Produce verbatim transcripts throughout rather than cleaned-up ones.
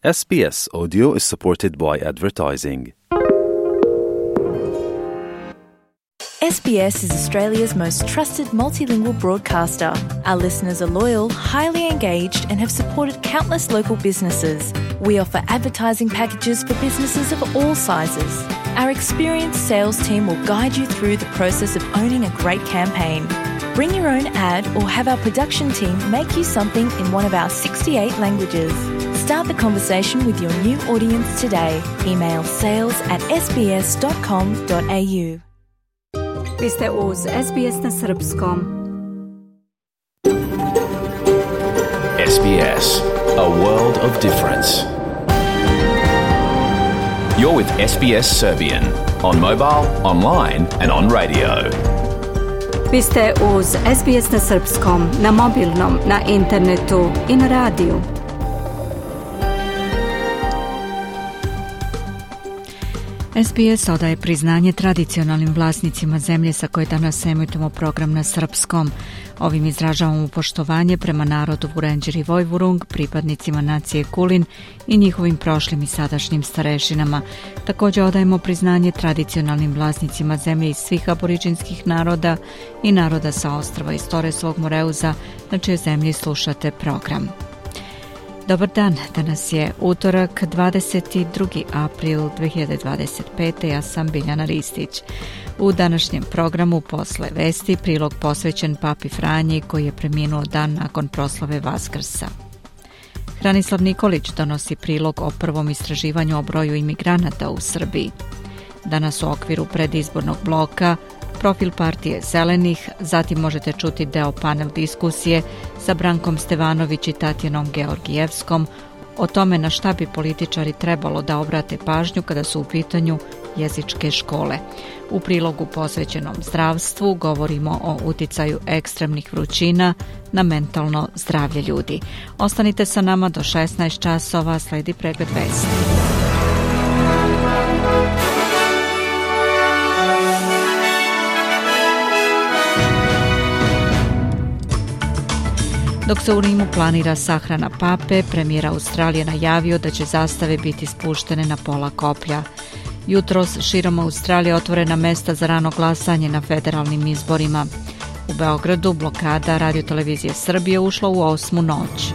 S B S Audio is supported by advertising. S B S is Australia's most trusted multilingual broadcaster. Our listeners are loyal, highly engaged, and have supported countless local businesses. We offer advertising packages for businesses of all sizes. Our experienced sales team will guide you through the process of owning a great campaign. Bring your own ad or have our production team make you something in one of our sixty-eight languages. Start the conversation with your new audience today. Email sales at s b s dot com dot a u. Vi ste uz S B S na srpskom. S B S, a world of difference. You're with S B S Serbian on mobile, online and on radio. Vi ste uz S B S na srpskom, na mobilnom, na internetu i na radiju. S B S odaje priznanje tradicionalnim vlasnicima zemlje sa koje danas emitujemo program na srpskom. Ovim izražavamo poštovanje prema narodu Vurenđer i Vojvurung, pripadnicima nacije Kulin i njihovim prošlim i sadašnjim starešinama. Također odajemo priznanje tradicionalnim vlasnicima zemlje iz svih aboriđinskih naroda i naroda sa ostrva iz Toresovog Moreuza, na čijoj zemlji slušate program. Dobar dan, danas je utorak, dvadeset drugi april dve hiljade dvadeset pete. Ja sam Biljana Ristić. U današnjem programu posle vesti prilog posvećen Papi Franji koji je preminuo dan nakon proslave Vaskrsa. Hranislav Nikolić donosi prilog o prvom istraživanju o broju imigranata u Srbiji. Danas u okviru predizbornog bloka profil partije Zelenih, zatim možete čuti deo panel diskusije sa Brankom Stevanović i Tatjanom Georgijevskom o tome na šta bi političari trebalo da obrate pažnju kada su u pitanju jezičke škole. U prilogu posvećenom zdravstvu govorimo o uticaju ekstremnih vrućina na mentalno zdravlje ljudi. Ostanite sa nama do šesnaest časova, sledi pregled vesti. Dok se u Rimu planira sahrana pape, premijer Australije najavio da će zastave biti spuštene na pola koplja. Jutros širom Australije otvorena mesta za rano glasanje na federalnim izborima. U Beogradu blokada Radio-televizije Srbije ušla u osmu noć.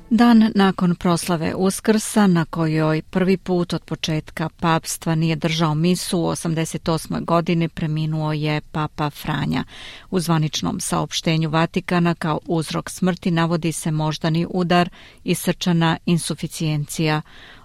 Dan nakon proslave Uskrsa, na kojoj prvi put od početka papstva nije držao misu, u osamdeset osmoj godini preminuo je Papa Franja. U zvaničnom saopštenju Vatikana kao uzrok smrti navodi se moždani udar i srčana insuficijencija.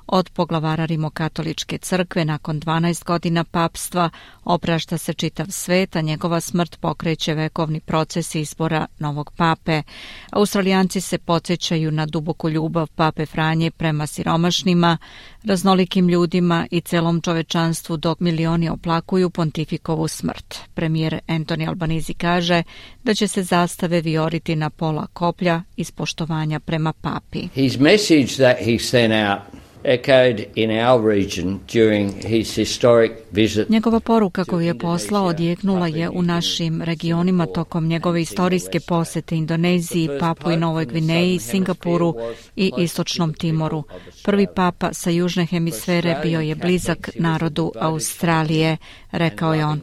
Od poglavara Rimokatoličke crkve nakon dvanaest godina papstva oprašta se čitav svet, a njegova smrt pokreće vekovni proces izbora novog pape. Australijanci se podsjećaju na duboku ljubav Pape Franje prema siromašnima, raznolikim ljudima i celom čovečanstvu, dok milioni oplakuju pontifikovu smrt. Premijer Anthony Albanese kaže da će se zastave vijoriti na pola koplja iz poštovanja prema papi. His message that he sent out echoed in our region during his historic visit. Njegova poruka koju je poslao odjeknula je u našim regionima tokom njegove istorijske posete Indoneziji, Papui Novoj Gvineji, Singapuru i Istočnom Timoru. Prvi papa sa južne hemisfere bio je blizak narodu Australije, rekao je on.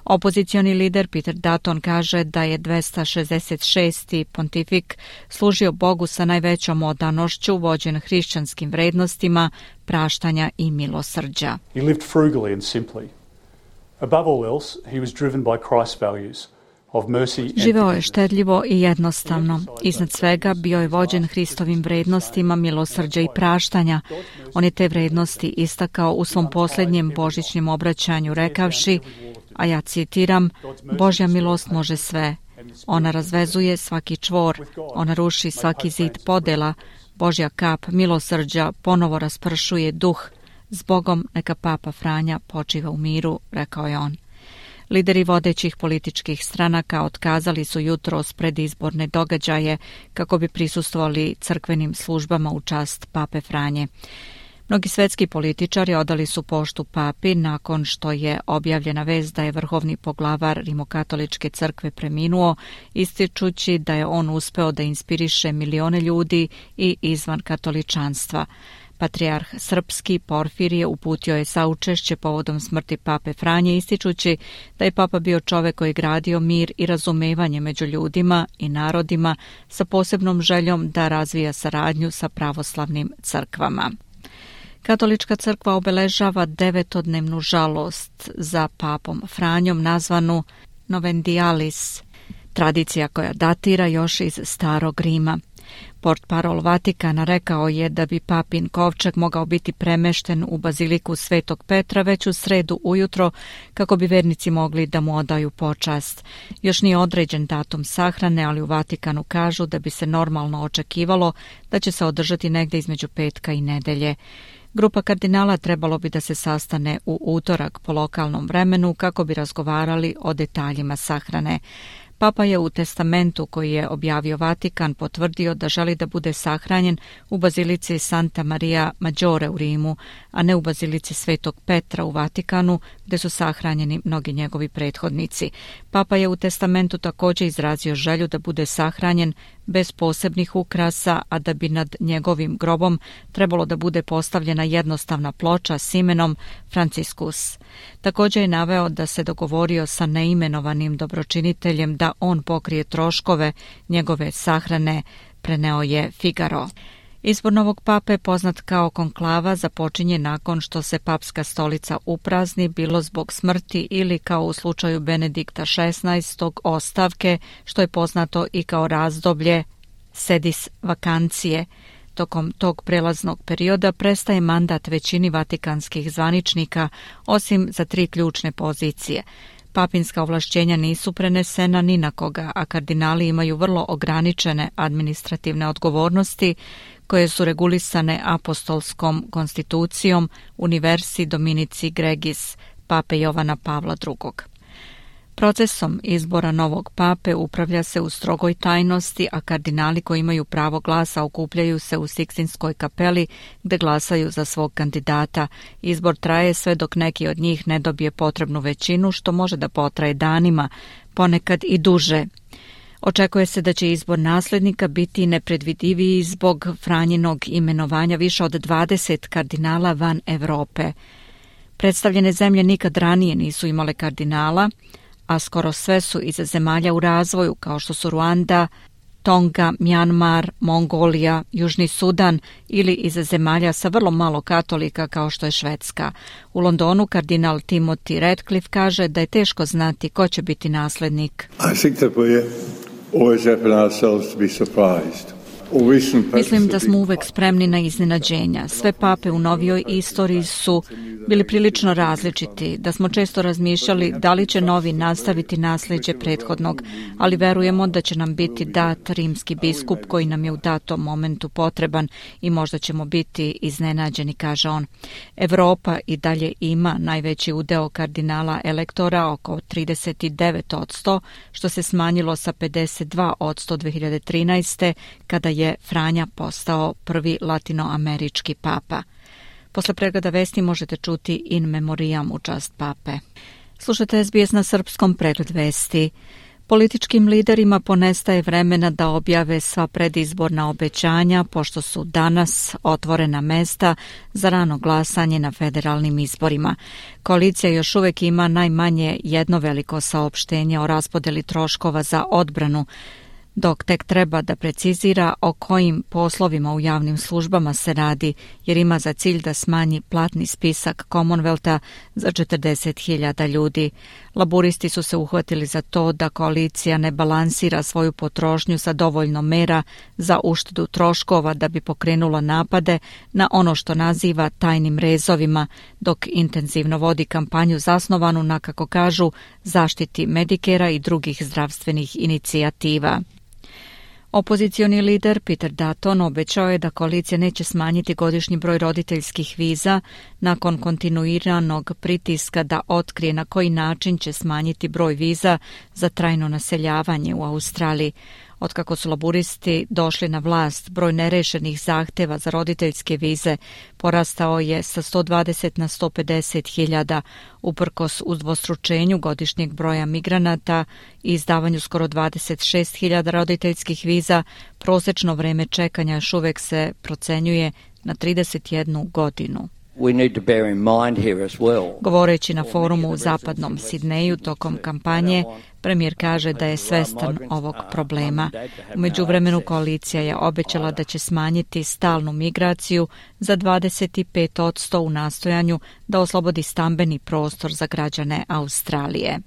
Opozicioni lider Peter Dutton kaže da je dvesta šezdeset šesti pontifik služio Bogu sa najvećom odanošću, vođen hrišćanskim vrednostima, praštanja i milosrđa. He lived frugally and simply. Above all else, he was driven by Christ's values of mercy. Živeo je štedljivo i jednostavno. Iznad svega bio je vođen Hristovim vrednostima milosrđa i praštanja. On je te vrednosti istakao u svom posljednjem božićnim obraćanju rekavši, a ja citiram, Božja milost može sve. Ona razvezuje svaki čvor, ona ruši svaki zid podela, Božja kap milosrđa ponovo raspršuje duh. S Bogom neka Papa Franja počiva u miru, rekao je on. Lideri vodećih političkih stranaka otkazali su jutros predizborne događaje kako bi prisustvovali crkvenim službama u čast Pape Franje. Mnogi svetski političari odali su poštu papi nakon što je objavljena vest da je vrhovni poglavar Rimokatoličke crkve preminuo, ističući da je on uspeo da inspiriše milione ljudi i izvan katoličanstva. Patrijarh srpski Porfirije uputio je saučešće povodom smrti pape Franje, ističući da je papa bio čovek koji je gradio mir i razumevanje među ljudima i narodima sa posebnom željom da razvija saradnju sa pravoslavnim crkvama. Katolička crkva obeležava devetodnevnu žalost za papom Franjom nazvanu Novendialis, tradicija koja datira još iz Starog Rima. Portparol Vatikana rekao je da bi papin kovčeg mogao biti premešten u baziliku Svetog Petra već u sredu ujutro kako bi vernici mogli da mu odaju počast. Još nije određen datum sahrane, ali u Vatikanu kažu da bi se normalno očekivalo da će se održati negde između petka i nedelje. Grupa kardinala trebalo bi da se sastane u utorak po lokalnom vremenu kako bi razgovarali o detaljima sahrane. Papa je u testamentu koji je objavio Vatikan potvrdio da želi da bude sahranjen u bazilici Santa Maria Maggiore u Rimu, a ne u bazilici Svetog Petra u Vatikanu, gde su sahranjeni mnogi njegovi prethodnici. Papa je u testamentu također izrazio želju da bude sahranjen bez posebnih ukrasa, a da bi nad njegovim grobom trebalo da bude postavljena jednostavna ploča s imenom Franciscus. Također je naveo da se dogovorio sa neimenovanim dobročiniteljem da on pokrije troškove njegove sahrane, preneo je Figaro. Izbor novog pape, poznat kao konklava, započinje nakon što se papska stolica uprazni, bilo zbog smrti ili kao u slučaju Benedikta šesnaestog ostavke, što je poznato i kao razdoblje sedis vakancije. Tokom tog prelaznog perioda prestaje mandat većini vatikanskih zvaničnika, osim za tri ključne pozicije. Papinska ovlašćenja nisu prenesena ni na koga, a kardinali imaju vrlo ograničene administrativne odgovornosti koje su regulisane apostolskom konstitucijom Universi Dominici Gregis, pape Jovana Pavla drugog. Procesom izbora novog pape upravlja se u strogoj tajnosti, a kardinali koji imaju pravo glasa okupljaju se u Sikstinskoj kapeli gde glasaju za svog kandidata. Izbor traje sve dok neki od njih ne dobije potrebnu većinu, što može da potraje danima, ponekad i duže. Očekuje se da će izbor naslednika biti nepredvidiviji zbog Franjinog imenovanja više od dvadeset kardinala van Evrope. Predstavljene zemlje nikad ranije nisu imale kardinala, a skoro sve su iz zemalja u razvoju, kao što su Ruanda, Tonga, Mjanmar, Mongolija, Južni Sudan ili iz zemalja sa vrlo malo katolika kao što je Švedska. U Londonu kardinal Timothy Radcliffe kaže da je teško znati ko će biti naslednik. I think that we always open ourselves to be surprised. Mislim da smo uvek spremni na iznenađenja. Sve pape u novijoj istoriji su bili prilično različiti, da smo često razmišljali da li će novi nastaviti nasljeđe prethodnog, ali verujemo da će nam biti dat rimski biskup koji nam je u datom momentu potreban i možda ćemo biti iznenađeni, kaže on. Evropa i dalje ima najveći udeo kardinala elektora, oko trideset devet posto, što se smanjilo sa pedeset dva posto dve hiljade trinaeste. kada je Franja postao prvi latinoamerički papa. Posle pregleda vesti možete čuti in memoriam u čast pape. Slušajte S B S na srpskom, pregled vesti. Političkim liderima ponestaje vremena da objave sva predizborna obećanja, pošto su danas otvorena mesta za rano glasanje na federalnim izborima. Koalicija još uvek ima najmanje jedno veliko saopštenje o raspodeli troškova za odbranu, dok tek treba da precizira o kojim poslovima u javnim službama se radi, jer ima za cilj da smanji platni spisak Commonwealtha za četrdeset hiljada ljudi. Laburisti su se uhvatili za to da koalicija ne balansira svoju potrošnju sa dovoljno mera za uštedu troškova da bi pokrenula napade na ono što naziva tajnim rezovima, dok intenzivno vodi kampanju zasnovanu na, kako kažu, zaštiti Medikera i drugih zdravstvenih inicijativa. Opozicioni lider Peter Dutton obećao je da koalicija neće smanjiti godišnji broj roditeljskih viza nakon kontinuiranog pritiska da otkrije na koji način će smanjiti broj viza za trajno naseljavanje u Australiji. Otkako su laburisti došli na vlast, broj nerešenih zahteva za roditeljske vize porastao je sa sto dvadeset na sto pedeset hiljada, uprkos udvostručenju godišnjeg broja migranata i izdavanju skoro dvadeset šest hiljada roditeljskih viza. Prosečno vreme čekanja još uvek se procenjuje na trideset jednu godinu. We need to bear in mind here as well. Govoreći na forumu u zapadnom Sidneju tokom kampanje, premijer kaže da je svestan ovog problema. U međuvremenu koalicija je obećala da će smanjiti stalnu migraciju za dvadeset pet posto u nastojanju da oslobodi stambeni prostor za građane Australije.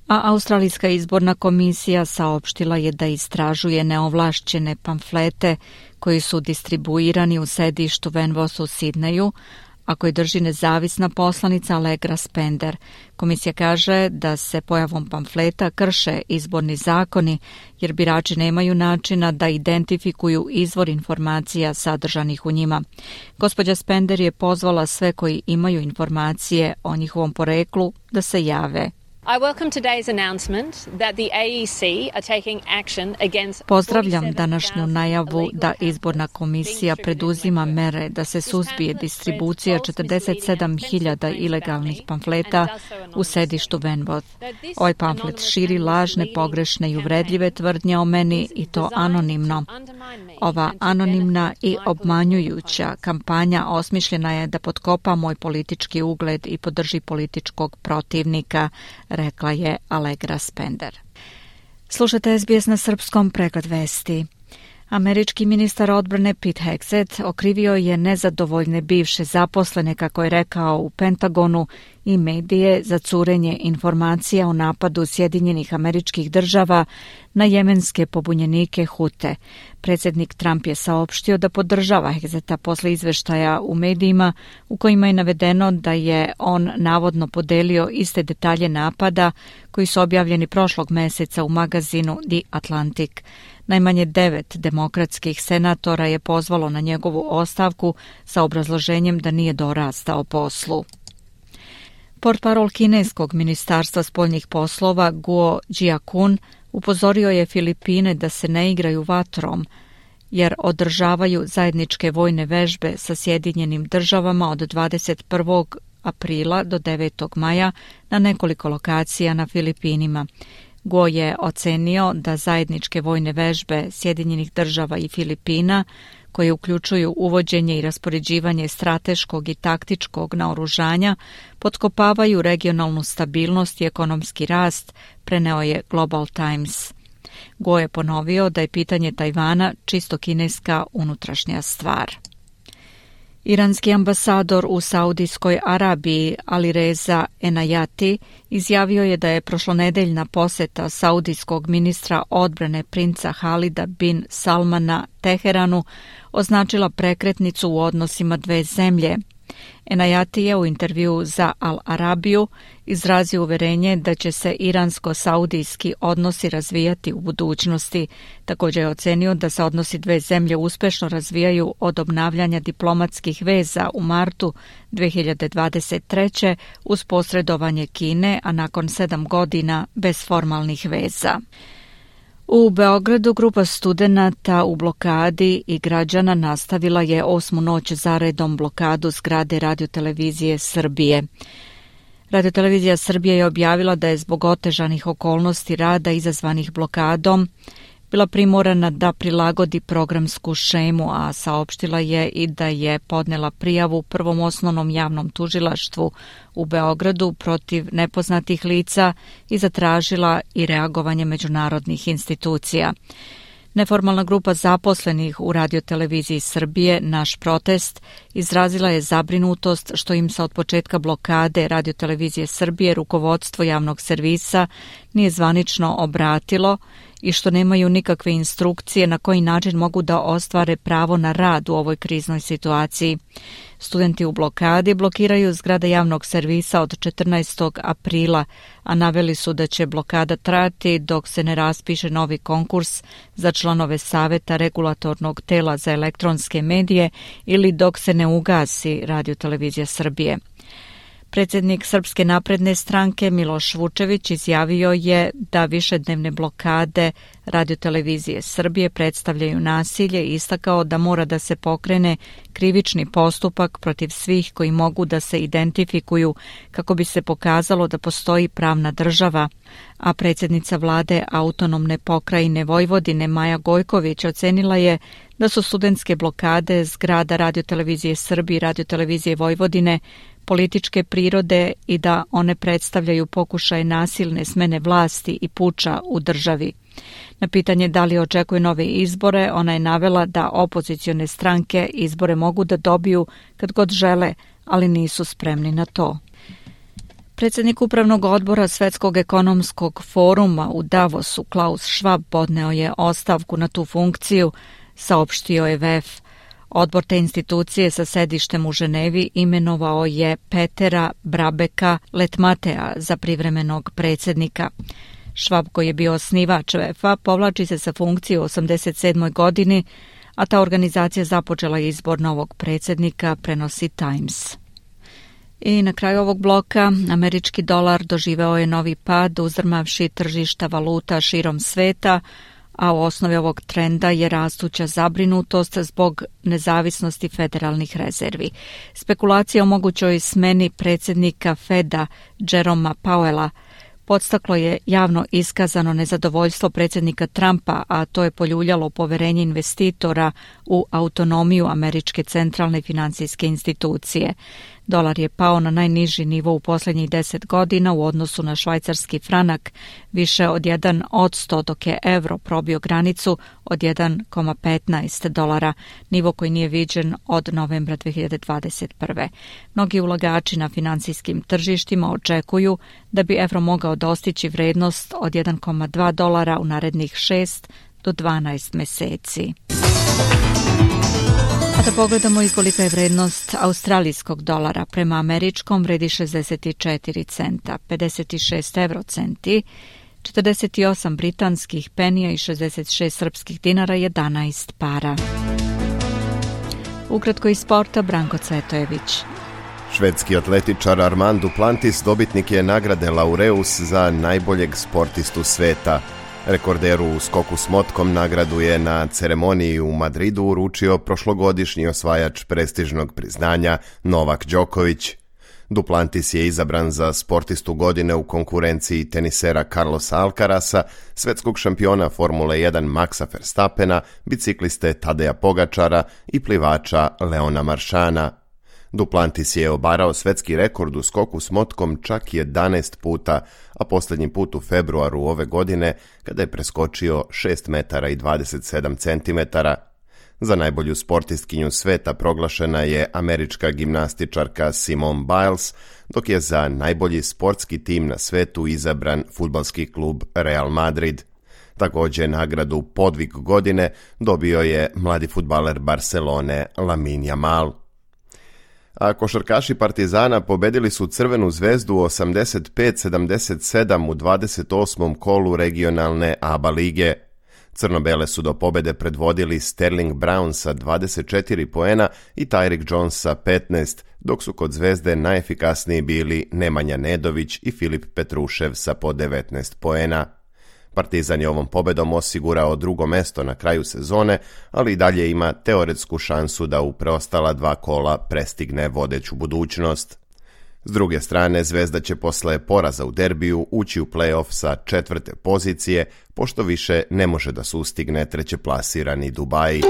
A Australijska izborna komisija saopštila je da istražuje neovlašćene pamflete koji su distribuirani u sedištu Venvos u Sidneju, a koji drži nezavisna poslanica Allegra Spender. Komisija kaže da se pojavom pamfleta krše izborni zakoni, jer birači nemaju načina da identifikuju izvor informacija sadržanih u njima. Gospođa Spender je pozvala sve koji imaju informacije o njihovom poreklu da se jave. I welcome today's announcement that the A E C are taking action against Pozdravljam današnju najavu da izborna komisija preduzima mere da se suzbije distribucija četrdeset sedam hiljada ilegalnih pamfleta u sedištu Venvos. Ovaj pamflet širi lažne, pogrešne i uvredljive tvrdnje o meni i to anonimno. Ova anonimna i obmanjujuća kampanja osmišljena je da potkopa moj politički ugled i podrži političkog protivnika, rekla je Allegra Spender. Slušate S B S na srpskom, pregled vesti. Američki ministar odbrane Pete Hegseth okrivio je nezadovoljne bivše zaposlene, kako je rekao, u Pentagonu i medije za curenje informacija o napadu Sjedinjenih Američkih Država na jemenske pobunjenike Hute. Predsjednik Trump je saopštio da podržava Hegsetha posle izveštaja u medijima u kojima je navedeno da je on navodno podelio iste detalje napada koji su objavljeni prošlog meseca u magazinu The Atlantic. Najmanje devet demokratskih senatora je pozvalo na njegovu ostavku sa obrazloženjem da nije dorastao poslu. Portparol kineskog ministarstva spoljnih poslova Guo Jiakun upozorio je Filipine da se ne igraju vatrom, jer održavaju zajedničke vojne vežbe sa Sjedinjenim Državama od dvadeset prvog aprila do devetog maja na nekoliko lokacija na Filipinima. Guo je ocenio da zajedničke vojne vežbe Sjedinjenih Država i Filipina, koje uključuju uvođenje i raspoređivanje strateškog i taktičkog naoružanja, potkopavaju regionalnu stabilnost i ekonomski rast, preneo je Global Times. Guo je ponovio da je pitanje Tajvana čisto kineska unutrašnja stvar. Iranski ambasador u Saudijskoj Arabiji Alireza Enayati izjavio je da je prošlonedeljna poseta saudijskog ministra odbrane princa Halida bin Salmana Teheranu označila prekretnicu u odnosima dve zemlje. Enayati je u intervjuu za Al Arabiju izrazio uverenje da će se iransko-saudijski odnosi razvijati u budućnosti. Također je ocenio da se odnosi dve zemlje uspešno razvijaju od obnavljanja diplomatskih veza u martu dve hiljade dvadeset treće uz posredovanje Kine, a nakon sedam godina bez formalnih veza. U Beogradu grupa studenata u blokadi i građana nastavila je osmu noć zaredom blokadu zgrade Radiotelevizije Srbije. Radiotelevizija Srbije je objavila da je zbog otežanih okolnosti rada izazvanih blokadom bila primorana da prilagodi programsku šemu, a saopštila je i da je podnela prijavu Prvom osnovnom javnom tužilaštvu u Beogradu protiv nepoznatih lica i zatražila i reagovanje međunarodnih institucija. Neformalna grupa zaposlenih u Radioteleviziji Srbije Naš protest izrazila je zabrinutost što im se od početka blokade Radiotelevizije Srbije rukovodstvo javnog servisa nije zvanično obratilo i što nemaju nikakve instrukcije na koji način mogu da ostvare pravo na rad u ovoj kriznoj situaciji. Studenti u blokadi blokiraju zgrade javnog servisa od četrnaestog aprila, a naveli su da će blokada trajati dok se ne raspiše novi konkurs za članove Saveta regulatornog tela za elektronske medije ili dok se ne ugasi Radiotelevizija Srbije. Predsjednik Srpske napredne stranke Miloš Vučević izjavio je da višednevne blokade radiotelevizije Srbije predstavljaju nasilje i istakao da mora da se pokrene krivični postupak protiv svih koji mogu da se identifikuju kako bi se pokazalo da postoji pravna država. A predsjednica vlade autonomne pokrajine Vojvodine Maja Gojković ocenila je da su studentske blokade zgrada radiotelevizije Srbije i radiotelevizije Vojvodine političke prirode i da one predstavljaju pokušaj nasilne smene vlasti i puča u državi. Na pitanje da li očekuje nove izbore, ona je navela da opozicione stranke izbore mogu da dobiju kad god žele, ali nisu spremni na to. Predsjednik Upravnog odbora Svetskog ekonomskog foruma u Davosu Klaus Schwab podneo je ostavku na tu funkciju, saopštio je V F. Odbor te institucije sa sedištem u Ženevi imenovao je Petera Brabeka Letmatea za privremenog predsjednika. Schwab, koji je bio osnivač V F-a, povlači se sa funkcije u osamdeset sedmoj godini, a ta organizacija započela izbor novog predsjednika, prenosi Times. I na kraju ovog bloka američki dolar doživeo je novi pad uzdrmavši tržišta valuta širom sveta, a u osnovi ovog trenda je rastuća zabrinutost zbog nezavisnosti federalnih rezervi. Spekulacija o mogućoj smeni predsjednika Feda Jeroma Powella podstaklo je javno iskazano nezadovoljstvo predsjednika Trumpa, a to je poljuljalo poverenje investitora u autonomiju američke centralne financijske institucije. Dolar je pao na najniži nivo u posljednjih deset godina u odnosu na švajcarski franak, više od jedan odsto, dok je evro probio granicu od jedan zarez petnaest dolara, nivo koji nije viđen od novembra dve hiljade dvadeset prve. Mnogi ulagači na financijskim tržištima očekuju da bi evro mogao dostići vrednost od jedan zarez dva dolara u narednih šest do dvanaest meseci. A da pogledamo i kolika je vrednost australijskog dolara. Prema američkom vredi šezdeset četiri centa, pedeset šest evrocenti, četrdeset osam britanskih penija i šezdeset šest srpskih dinara, jedanaest para. Ukratko iz sporta, Branko Cvetojević. Švedski atletičar Armand Duplantis dobitnik je nagrade Laureus za najboljeg sportistu sveta. Rekorderu u skoku s motkom nagradu je na ceremoniji u Madridu uručio prošlogodišnji osvajač prestižnog priznanja Novak Đoković. Duplantis je izabran za sportistu godine u konkurenciji tenisera Carlosa Alcarasa, svetskog šampiona Formule jedan Maxa Verstappena, bicikliste Tadeja Pogačara i plivača Leona Maršana. Duplantis je obarao svetski rekord u skoku s motkom čak jedanaest puta, a posljednji put u februaru ove godine kada je preskočio šest metara i dvadeset sedam centimetara. Za najbolju sportistkinju sveta proglašena je američka gimnastičarka Simone Biles, dok je za najbolji sportski tim na svetu izabran fudbalski klub Real Madrid. Također nagradu Podvig godine dobio je mladi fudbaler Barcelone Lamine Yamal. A košarkaši Partizana pobedili su Crvenu zvezdu osamdeset pet sedamdeset sedam u dvadeset osmom kolu regionalne A B A lige. Crno-bele su do pobede predvodili Sterling Brown sa dvadeset četiri poena i Tyreek Jones sa petnaest, dok su kod Zvezde najefikasniji bili Nemanja Nedović i Filip Petrušev sa po devetnaest poena. Partizan je ovom pobedom osigurao drugo mesto na kraju sezone, ali i dalje ima teoretsku šansu da u preostala dva kola prestigne vodeću budućnost. S druge strane, Zvezda će posle poraza u derbiju ući u play-off sa četvrte pozicije, pošto više ne može da sustigne trećeplasirani Dubai.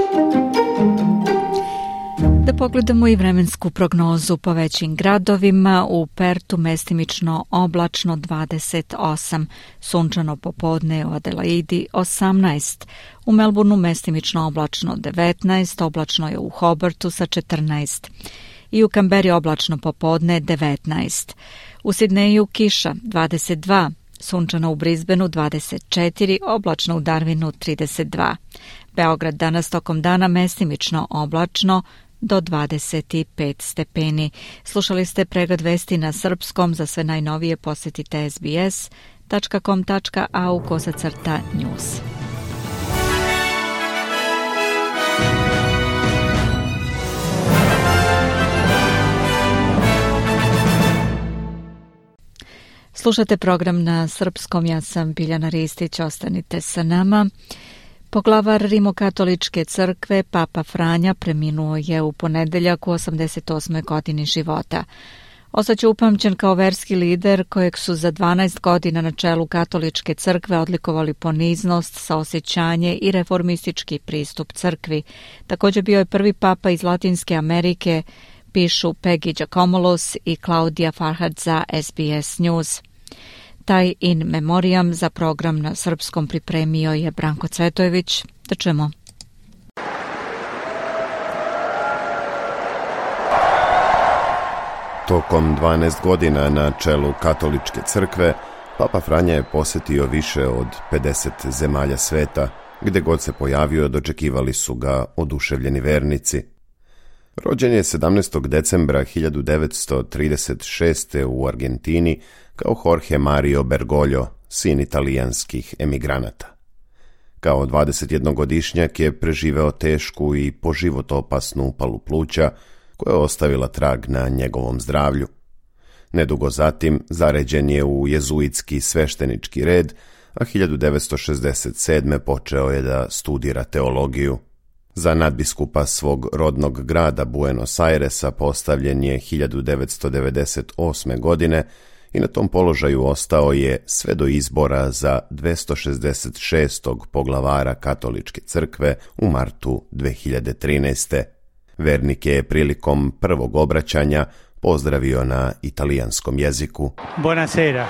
Da pogledamo i vremensku prognozu po većim gradovima. U Pertu mestimično oblačno dvadeset osam, sunčano popodne u Adelaidi osamnaest, u Melbourneu mestimično oblačno devetnaest, oblačno je u Hobartu sa četrnaest. I u Kamberi oblačno popodne devetnaest. U Sidneju kiša dvadeset dva, sunčano u Brisbaneu dvadeset četiri, oblačno u Darwinu trideset dva. Beograd danas tokom dana mestimično oblačno do dvadeset pet stepeni. Slušali ste pregled vesti na srpskom. Za sve najnovije posjetite es be es tačka com tačka a u kosacrta news. Slušate program na srpskom, ja sam Biljana Ristić, ostanite sa nama. Poglavar Rimokatoličke crkve, Papa Franja, preminuo je u ponedeljak u osamdeset osmoj godini života. Ostaće upamćen kao verski lider kojeg su za dvanaest godina na čelu Katoličke crkve odlikovali poniznost, saosjećanje i reformistički pristup crkvi. Također bio je prvi papa iz Latinske Amerike, pišu Peggy Giacomolos i Claudia Farhad za S B S News. Taj in memoriam za program na srpskom pripremio je Branko Cvetojević. Da čujemo. Tokom dvanaest godina na čelu Katoličke crkve, Papa Franja je posjetio više od pedeset zemalja sveta, gdje god se pojavio dočekivali su ga oduševljeni vernici. Rođen je sedamnaestog decembra hiljadu devetsto trideset šeste. u Argentini kao Jorge Mario Bergoglio, sin italijanskih emigranata. Kao dvadesetjednogodišnjak je preživeo tešku i po život opasnu upalu pluća, koja je ostavila trag na njegovom zdravlju. Nedugo zatim zaređen je u jezuitski sveštenički red, a hiljadu devetsto šezdeset sedme. počeo je da studira teologiju. Za nadbiskupa svog rodnog grada Buenos Airesa postavljen je hiljadu devetsto devedeset osme. godine i na tom položaju ostao je sve do izbora za dvjesto šezdeset šestog poglavara Katoličke crkve u martu dve hiljade trinaeste. Vernik je prilikom prvog obraćanja pozdravio na italijanskom jeziku. Buonasera.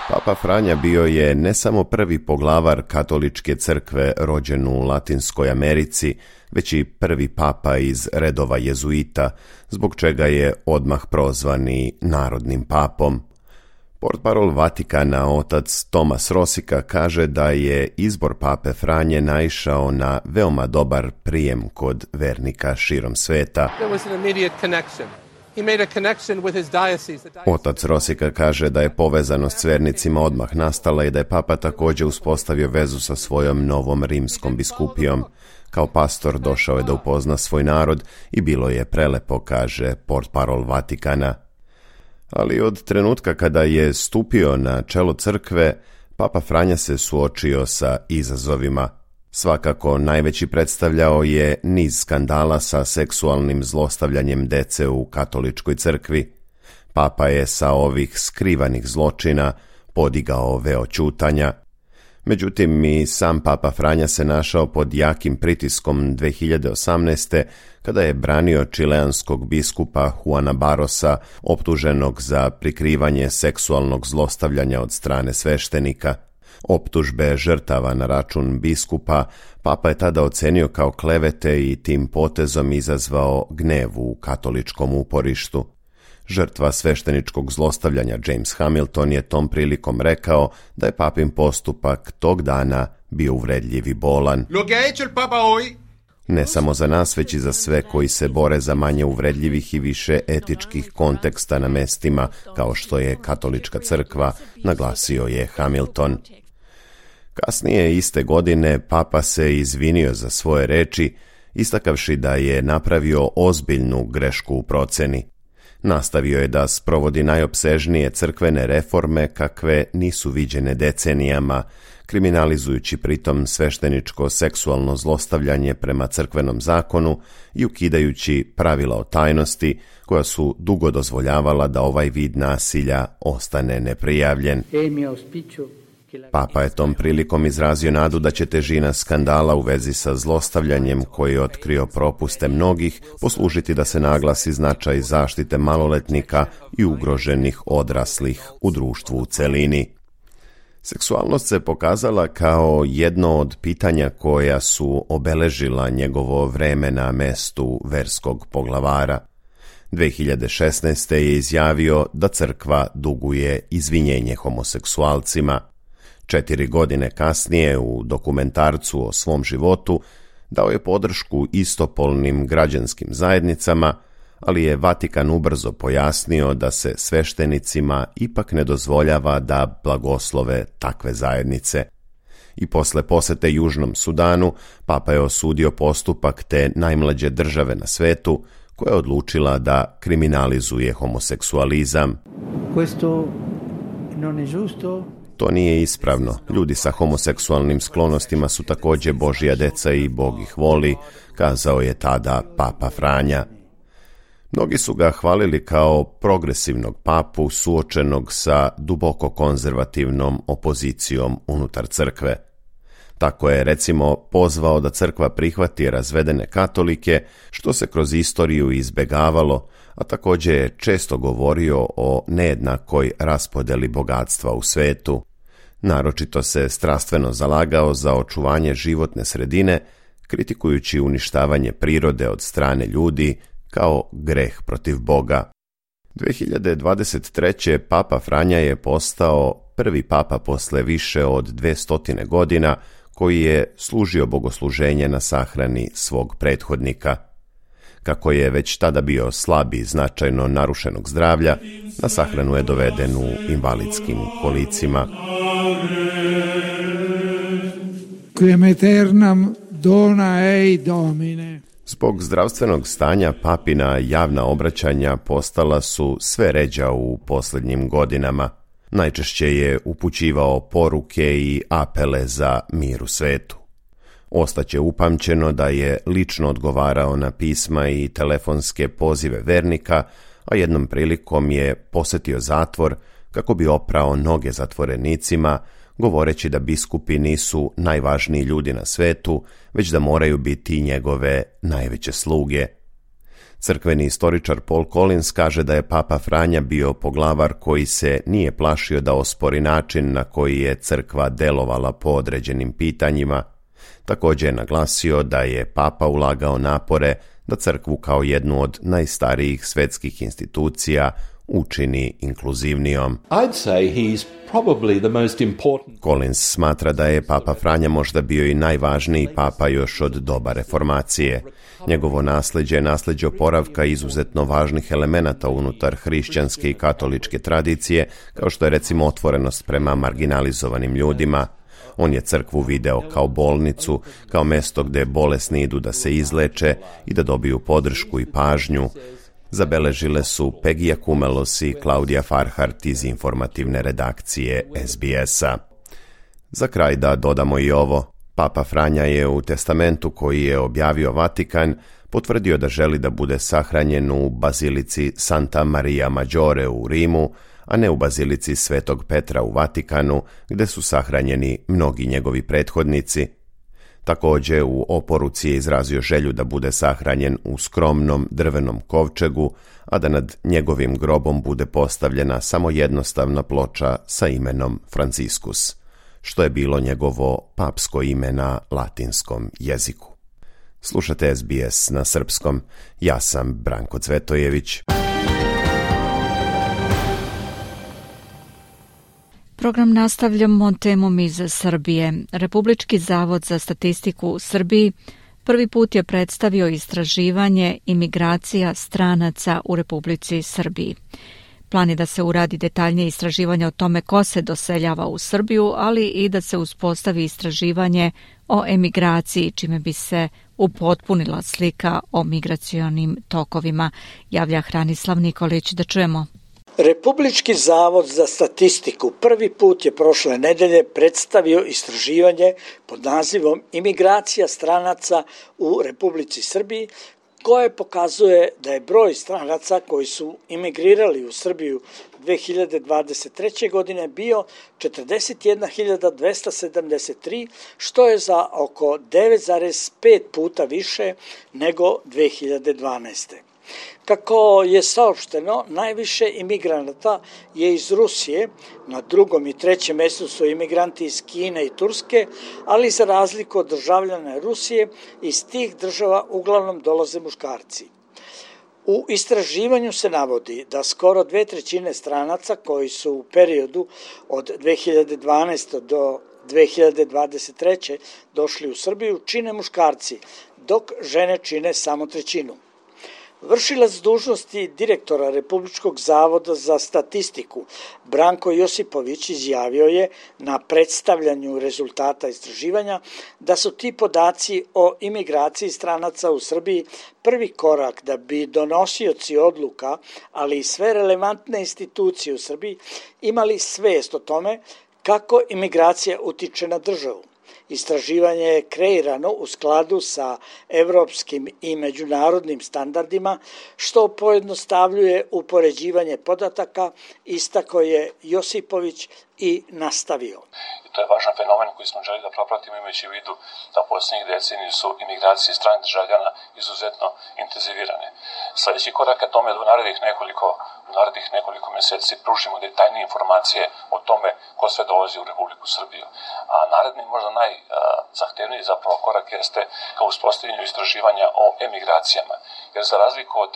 Papa Franja bio je ne samo prvi poglavar Katoličke crkve rođen u Latinskoj Americi, već i prvi papa iz redova jezuita, zbog čega je odmah prozvan i narodnim papom. Portparol Vatikana, otac Tomas Rosika, kaže da je izbor pape Franje naišao na veoma dobar prijem kod vernika širom sveta. Otac Rosika kaže da je povezanost s vernicima odmah nastala i da je papa također uspostavio vezu sa svojom novom rimskom biskupijom. Kao pastor došao je da upozna svoj narod i bilo je prelepo, kaže portparol Vatikana. Ali od trenutka kada je stupio na čelo crkve, Papa Franja se suočio sa izazovima. Svakako najveći predstavljao je niz skandala sa seksualnim zlostavljanjem dece u Katoličkoj crkvi. Papa je sa ovih skrivanih zločina podigao veo ćutanja. Međutim, i sam Papa Franja se našao pod jakim pritiskom dve hiljade osamnaeste. kada je branio čileanskog biskupa Juana Barrosa, optuženog za prikrivanje seksualnog zlostavljanja od strane sveštenika. Optužbe žrtava na račun biskupa papa je tada ocenio kao klevete i tim potezom izazvao gnev u katoličkom uporištu. Žrtva svešteničkog zlostavljanja James Hamilton je tom prilikom rekao da je papin postupak tog dana bio uvredljiv i bolan. Ne samo za nas, već i za sve koji se bore za manje uvredljivih i više etičkih konteksta na mestima, kao što je Katolička crkva, naglasio je Hamilton. Kasnije iste godine papa se izvinio za svoje reči, istakavši da je napravio ozbiljnu grešku u proceni. Nastavio je da sprovodi najopsežnije crkvene reforme kakve nisu viđene decenijama, kriminalizujući pritom svešteničko seksualno zlostavljanje prema crkvenom zakonu i ukidajući pravila o tajnosti koja su dugo dozvoljavala da ovaj vid nasilja ostane neprijavljen. Papa je tom prilikom izrazio nadu da će težina skandala u vezi sa zlostavljanjem koji je otkrio propuste mnogih poslužiti da se naglasi značaj zaštite maloletnika i ugroženih odraslih u društvu u celini. Seksualnost se pokazala kao jedno od pitanja koja su obeležila njegovo vreme na mestu verskog poglavara. dve hiljade šesnaeste. je izjavio da crkva duguje izvinjenje homoseksualcima. Četiri godine kasnije u dokumentarcu o svom životu dao je podršku istopolnim građanskim zajednicama, ali je Vatikan ubrzo pojasnio da se sveštenicima ipak ne dozvoljava da blagoslove takve zajednice. I posle posete Južnom Sudanu, papa je osudio postupak te najmlađe države na svetu, koja je odlučila da kriminalizuje homoseksualizam. Questo To nije ispravno. Ljudi sa homoseksualnim sklonostima su također Božja deca i Bog ih voli, kazao je tada Papa Franja. Mnogi su ga hvalili kao progresivnog papu suočenog sa duboko konzervativnom opozicijom unutar crkve. Tako je, recimo, pozvao da crkva prihvati razvedene katolike, što se kroz istoriju izbegavalo, a također je često govorio o nejednakoj raspodjeli bogatstva u svetu. Naročito se strastveno zalagao za očuvanje životne sredine, kritikujući uništavanje prirode od strane ljudi kao greh protiv Boga. dvije hiljade dvadeset treće. Papa Franja je postao prvi papa posle više od dvestotine godina koji je služio bogosluženje na sahrani svog prethodnika. Kako je već tada bio slab i značajno narušenog zdravlja, na sahranu je doveden u invalidskim kolicima. Quem aeternam dona ei Domine. Zbog zdravstvenog stanja papina javna obraćanja postala su sve ređa u posljednjim godinama. Najčešće je upućivao poruke i apele za mir u svetu. Ostaće upamćeno da je lično odgovarao na pisma i telefonske pozive vernika, a jednom prilikom je posjetio zatvor kako bi oprao noge zatvorenicima, govoreći da biskupi nisu najvažniji ljudi na svetu, već da moraju biti njegove najveće sluge. Crkveni istoričar Paul Collins kaže da je Papa Franja bio poglavar koji se nije plašio da ospori način na koji je crkva delovala po određenim pitanjima. Također je naglasio da je Papa ulagao napore da crkvu kao jednu od najstarijih svetskih institucija učini inkluzivnijom. I'd say he's probably the most important. Collins smatra da je Papa Franja možda bio i najvažniji papa još od doba reformacije. Njegovo nasljeđe je nasljeđe oporavka izuzetno važnih elemenata unutar hrišćanske i katoličke tradicije, kao što je recimo otvorenost prema marginalizovanim ljudima. On je crkvu video kao bolnicu, kao mesto gdje bolesni idu da se izleče i da dobiju podršku i pažnju. Zabeležile su Pegija Kumelos i Klaudija Farhart iz informativne redakcije S B S-a. Za kraj da dodamo i ovo. Papa Franja je u testamentu koji je objavio Vatikan potvrdio da želi da bude sahranjen u bazilici Santa Maria Maggiore u Rimu, a ne u bazilici Svetog Petra u Vatikanu, gdje su sahranjeni mnogi njegovi prethodnici. Također u oporuci je izrazio želju da bude sahranjen u skromnom drvenom kovčegu, a da nad njegovim grobom bude postavljena samo jednostavna ploča sa imenom Franciscus, što je bilo njegovo papsko ime na latinskom jeziku. Slušate S B S na srpskom. Ja sam Branko Cvetojević. Program nastavljamo temom iz Srbije. Republički zavod za statistiku u Srbiji prvi put je predstavio istraživanje imigracija stranaca u Republici Srbiji. Plan je da se uradi detaljnije istraživanje o tome ko se doseljava u Srbiju, ali i da se uspostavi istraživanje o emigraciji, čime bi se upotpunila slika o migracionim tokovima. Javlja Hranislav Nikolić, da čujemo. Republički zavod za statistiku prvi put je prošle nedelje predstavio istraživanje pod nazivom Imigracija stranaca u Republici Srbiji, koje pokazuje da je broj stranaca koji su imigrirali u Srbiju dvije hiljade dvadeset treće. godine bio četrdeset jedna hiljada dvesta sedamdeset tri, što je za oko devet zarez pet puta više nego dvije hiljade dvanaeste. Kako je saopšteno, najviše imigranata je iz Rusije, na drugom i trećem mjestu su imigranti iz Kine i Turske, ali za razliku od državljana Rusije, iz tih država uglavnom dolaze muškarci. U istraživanju se navodi da skoro dve trećine stranaca koji su u periodu od dvije hiljade dvanaeste. do dvije hiljade dvadeset treće. došli u Srbiju čine muškarci, dok žene čine samo trećinu. Vršilac dužnosti direktora Republičkog zavoda za statistiku Branko Josipović izjavio je na predstavljanju rezultata istraživanja da su ti podaci o imigraciji stranaca u Srbiji prvi korak da bi donosioci odluka, ali i sve relevantne institucije u Srbiji imali svest o tome kako imigracija utiče na državu. Istraživanje je kreirano u skladu sa evropskim i međunarodnim standardima, što pojednostavljuje upoređivanje podataka, istakao je Josipović i nastavio. To je važan fenomen koji smo želi da propratimo imajući u vidu da posljednjih decenija su imigracije stranih državljana izuzetno intenzivirane. Sljedeći korak ka tome je da u narednih nekoliko, u narednih nekoliko mjeseci pružimo detaljnije informacije o tome ko sve dolazi u Republiku Srbiju. A naredni možda najzahtevniji zapravo korak jeste ka uspostavljanju istraživanja o emigracijama. Jer za razliku od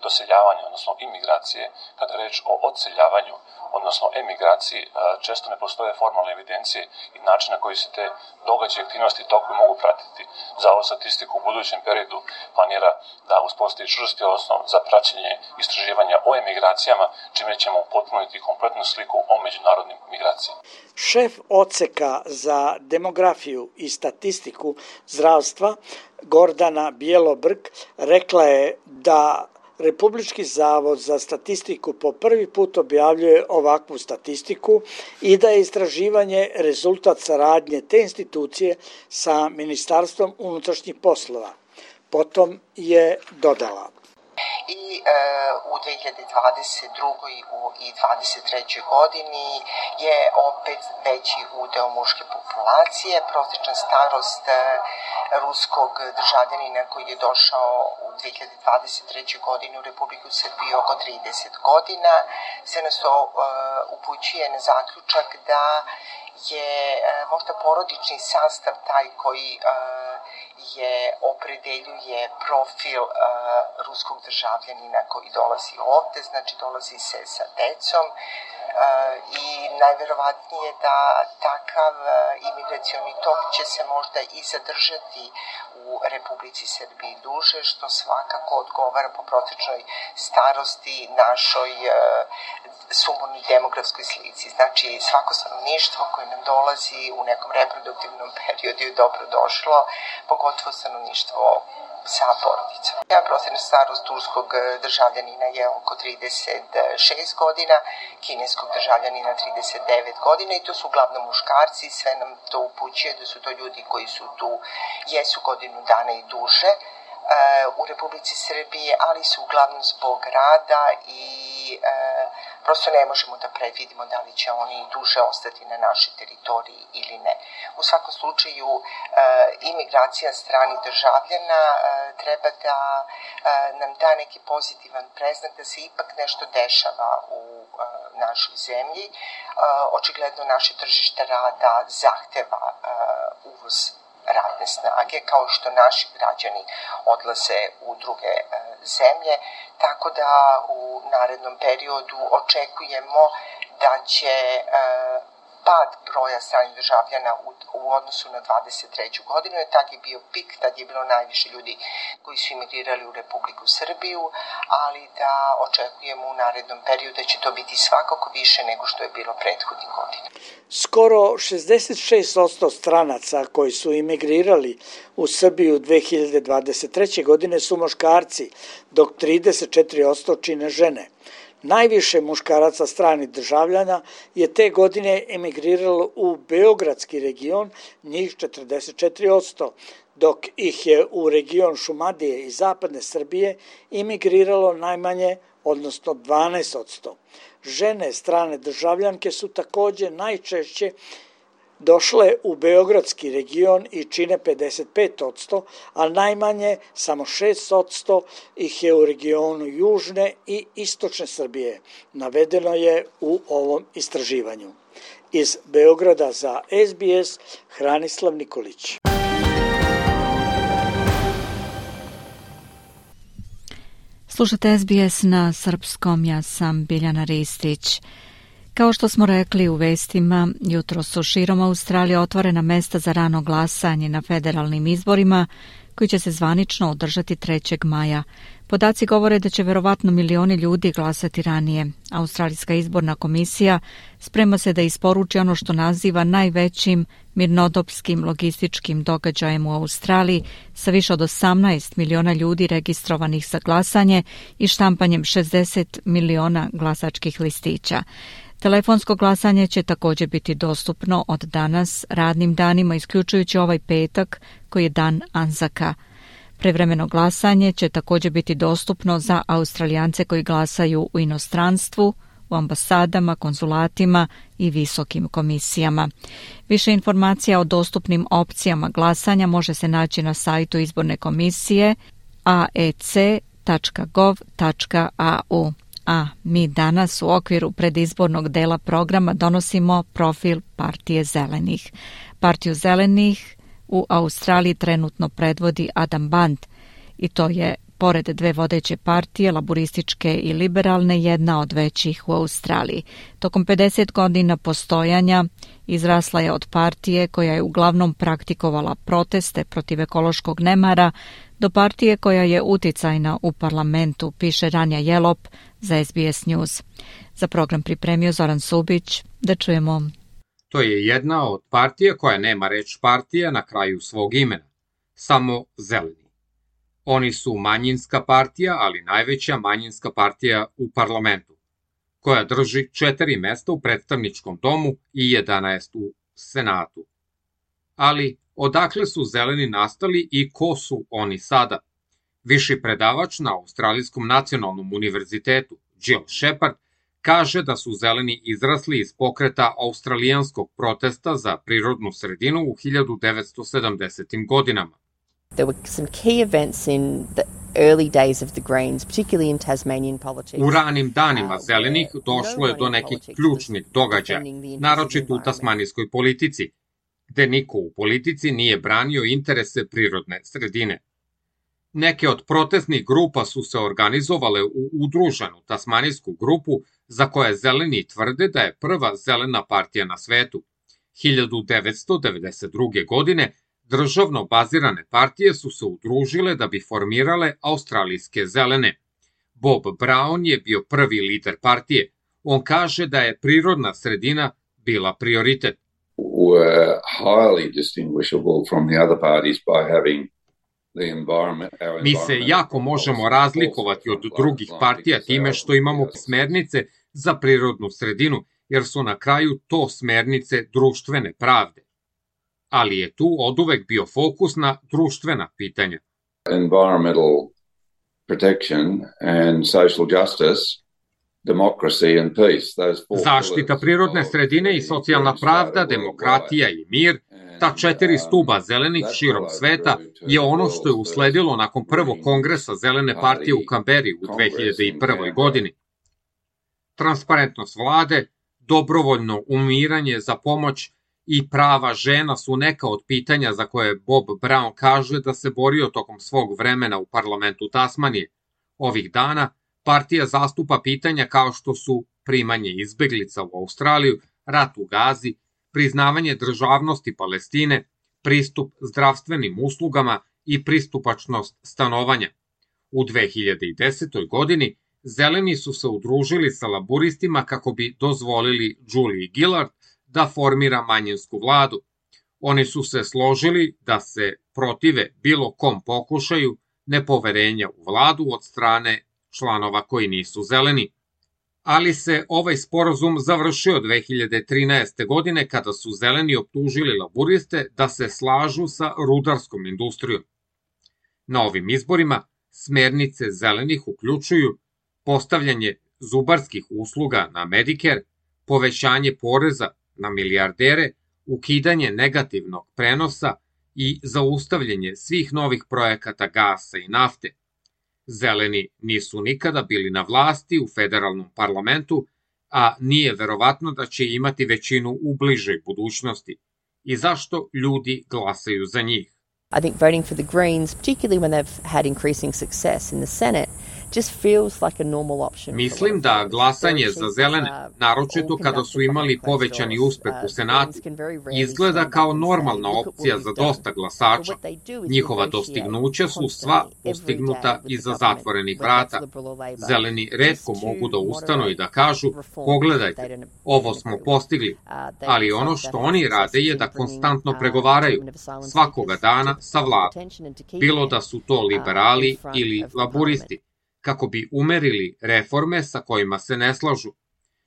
doseljavanja, odnosno imigracije, kada je reč o odseljavanju, odnosno emigraciji, često ne postoje formalne evidencije i način na koji se te događaje, aktivnosti i tokovi mogu pratiti. Zavod statistiku u budućem periodu planira da uspostavi čvrsti osnov za praćenje istraživanja o emigracijama, čime ćemo upotpuniti kompletnu sliku o međunarodnim migracijama. Šef odseka za demografiju i statistiku zdravstva Gordana Bjelobrk rekla je da Republički zavod za statistiku po prvi put objavljuje ovakvu statistiku i da je istraživanje rezultat saradnje te institucije sa Ministarstvom unutrašnjih poslova. Potom je dodala. I e, u dve hiljade dvadeset drugoj i dvadeset trećoj godini je opet veći udeo muške populacije. Prosječna starost e, ruskog državljanina koji je došao u dve hiljade dvadeset trećoj godini u Republiku Srbiju oko trideset godina. Sve nas to e, upućuje na zaključak da je e, možda porodični sastav taj koji e, je opredeljuje profil uh, ruskog državljanina koji dolazi ovde, znači dolazi se sa decom uh, i najverovatnije da takav uh, imigracioni tok će se možda i zadržati u Republici Srbiji duže, što svakako odgovara po prosječnoj starosti našoj uh, sumornoj demografskoj slici. Znači svako stanovništvo koje nam dolazi u nekom reproduktivnom periodu je dobro došlo, pogotovo stanovništvo sa porodicom. Ja prosječna starost turskog državljanina je oko trideset šest godina, kineskog državljanina trideset devet godina i to su uglavnom muškarci, sve nam to upućuje da su to ljudi koji su tu, jesu godinu dana i duže u Republici Srbije, ali su uglavnom zbog rada i e, prosto ne možemo da predvidimo da li će oni duže ostati na našoj teritoriji ili ne. U svakom slučaju, e, imigracija stranih državljana e, treba da e, nam da neki pozitivan preznak da se ipak nešto dešava u e, našoj zemlji. E, očigledno naše tržište rada zahteva e, uvoz radne snage, kao što naši građani odlaze u druge e, zemlje, tako da u narednom periodu očekujemo da će e, pad broja stranih državljana u, u odnosu na dvadeset treću godinu, jer tad je bio pik, tad je bilo najviše ljudi koji su imigrirali u Republiku Srbiju, ali da očekujemo u narednom periodu da će to biti svakako više nego što je bilo prethodnih godina. Skoro šezdeset šest posto stranaca koji su imigrirali u Srbiju dve hiljade dvadeset treće. godine su muškarci, dok trideset četiri posto čine žene. Najviše muškaraca stranih državljana je te godine emigriralo u Beogradski region, njih četrdeset četiri posto, dok ih je u region Šumadije i zapadne Srbije emigriralo najmanje, odnosno dvanaest posto. Žene strane državljanke su takođe najčešće došle u Beogradski region i čine pedeset pet posto, a najmanje, samo šest posto, ih je u regionu Južne i Istočne Srbije. Navedeno je u ovom istraživanju. Iz Beograda za S B S, Hranislav Nikolić. Slušate S B S na srpskom, ja sam Biljana Ristić. Kao što smo rekli u vestima, jutro su širom Australije otvorena mesta za rano glasanje na federalnim izborima koji će se zvanično održati trećeg maja. Podaci govore da će verovatno milioni ljudi glasati ranije. Australijska izborna komisija sprema se da isporuči ono što naziva najvećim mirnodopskim logističkim događajem u Australiji sa više od osamnaest miliona ljudi registrovanih za glasanje i štampanjem šezdeset miliona glasačkih listića. Telefonsko glasanje će također biti dostupno od danas radnim danima, isključujući ovaj petak koji je dan Anzaka. Prevremeno glasanje će također biti dostupno za Australijance koji glasaju u inostranstvu, u ambasadama, konzulatima i visokim komisijama. Više informacija o dostupnim opcijama glasanja može se naći na sajtu izborne komisije a e c tačka gov tačka a u. A mi danas u okviru predizbornog dela programa donosimo profil Partije zelenih. Partiju zelenih u Australiji trenutno predvodi Adam Band i to je, pored dve vodeće partije, laburističke i liberalne, jedna od većih u Australiji. Tokom pedeset godina postojanja izrasla je od partije koja je uglavnom praktikovala proteste protiv ekološkog nemara do partije koja je uticajna u parlamentu, piše Ranja Jelop za S B S News. Za program pripremio Zoran Subić. Da čujemo. To je jedna od partija koja nema reč partija na kraju svog imena, samo zeleni. Oni su manjinska partija, ali najveća manjinska partija u parlamentu, koja drži četiri mesta u predstavničkom domu i jedanaest u senatu. Ali odakle su zeleni nastali i ko su oni sada? Viši predavač na Australijskom nacionalnom univerzitetu, Jill Shepard, kaže da su zeleni izrasli iz pokreta australijanskog protesta za prirodnu sredinu u hiljadu devetsto sedamdesetim godinama. There were some key events in the early days of the Greens, particularly in Tasmanian politics. U ranim danima zelenih došlo je do nekih ključnih događaja, naročito u tasmanijskoj politici, gde niko u politici nije branio interese prirodne sredine. Neke od protestnih grupa su se organizovale u udruženu tasmanijsku grupu za koje zeleni tvrde da je prva zelena partija na svetu. hiljadu devetsto devedeset druge. godine državno bazirane partije su se udružile da bi formirale australijske zelene. Bob Brown je bio prvi lider partije. On kaže da je prirodna sredina bila prioritet. Were highly distinguishable from the other parties by having Mi se jako možemo razlikovati od drugih partija time što imamo smernice za prirodnu sredinu, jer su na kraju to smernice društvene pravde. Ali je tu oduvek bio fokus na društvena pitanja. Environmental protection and social justice, democracy and peace. Zaštita prirodne sredine i socijalna pravda, demokratija i mir, ta četiri stuba zelenih širom sveta je ono što je usledilo nakon prvog kongresa zelene partije u Kamberi u dve hiljade prve. godini. Transparentnost vlade, dobrovoljno umiranje za pomoć i prava žena su neka od pitanja za koje Bob Brown kaže da se borio tokom svog vremena u parlamentu Tasmanije. Ovih dana partija zastupa pitanja kao što su primanje izbeglica u Australiju, rat u Gazi, priznavanje državnosti Palestine, pristup zdravstvenim uslugama i pristupačnost stanovanja. U dve hiljade desetoj. godini zeleni su se udružili sa laburistima kako bi dozvolili Julie Gillard da formira manjinsku vladu. Oni su se složili da se protive bilo kom pokušaju nepoverenja u vladu od strane članova koji nisu zeleni. Ali se ovaj sporazum završio dve hiljade trinaeste. godine kada su zeleni optužili laburiste da se slažu sa rudarskom industrijom. Na ovim izborima smernice zelenih uključuju postavljanje zubarskih usluga na Medicare, povećanje poreza na milijardere, ukidanje negativnog prenosa i zaustavljanje svih novih projekata gasa i nafte. Zeleni nisu nikada bili na vlasti u federalnom parlamentu, a nije verovatno da će imati većinu u bližoj budućnosti. I zašto ljudi glasaju za njih? I think voting for the Greens, particularly when they've had increasing success in the Senate, just feels like a normal option. Mislim da glasanje za zelene, naročito kada su imali povećani uspeh u Senatu, izgleda kao normalna opcija za dosta glasača. Njihova dostignuća su sva postignuta iza zatvorenih vrata. Zeleni retko mogu da ustanu i da kažu, pogledajte, ovo smo postigli, ali ono što oni rade je da konstantno pregovaraju, svakoga dana sa vladom, bilo da su to liberali ili laburisti, kako bi umerili reforme sa kojima se ne slažu.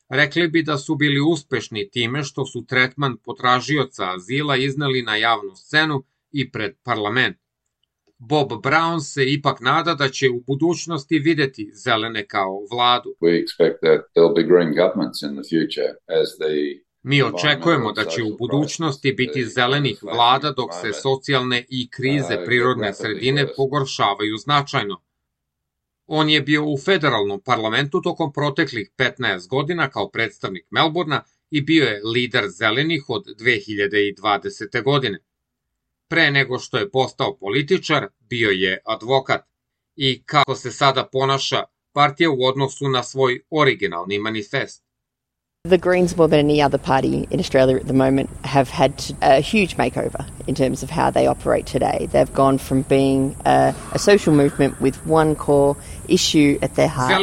Rekli bi da su bili uspešni time što su tretman potražioca azila izneli na javnu scenu i pred parlament. Bob Brown se ipak nada da će u budućnosti videti zelene kao vladu. We expect that there'll be green governments in the future as the Mi očekujemo da će u budućnosti biti zelenih vlada dok se socijalne i krize prirodne sredine pogoršavaju značajno. On je bio u federalnom parlamentu tokom proteklih petnaest godina kao predstavnik Melbourna i bio je lider zelenih od dve hiljade dvadesete. godine. Pre nego što je postao političar, bio je advokat. I kako se sada ponaša partija u odnosu na svoj originalni manifest. The Greens, more than any other party in Australia at the moment, have had a huge makeover in terms of how they operate today. They've gone from being a, a social movement with one core issue at their heart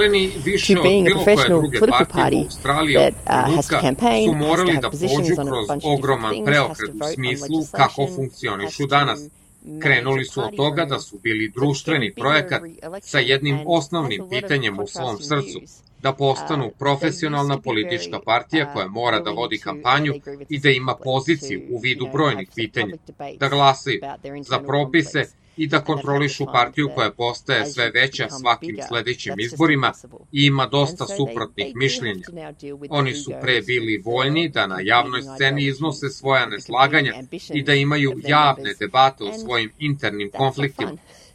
to being a professional political party that uh, has to campaign, has to have positions on a bunch of different things, has to vote on legislation, has to... Krenuli su od toga da su bili društveni projekat sa jednim osnovnim pitanjem u svom srcu, da postanu profesionalna politička partija koja mora da vodi kampanju i da ima poziciju u vidu brojnih pitanja, da glasaju za propise i da kontrolišu partiju koja postaje sve veća svakim sledećim izborima i ima dosta suprotnih mišljenja. Oni su pre bili voljni da na javnoj sceni iznose svoja neslaganja i da imaju javne debate o svojim internim konfliktima.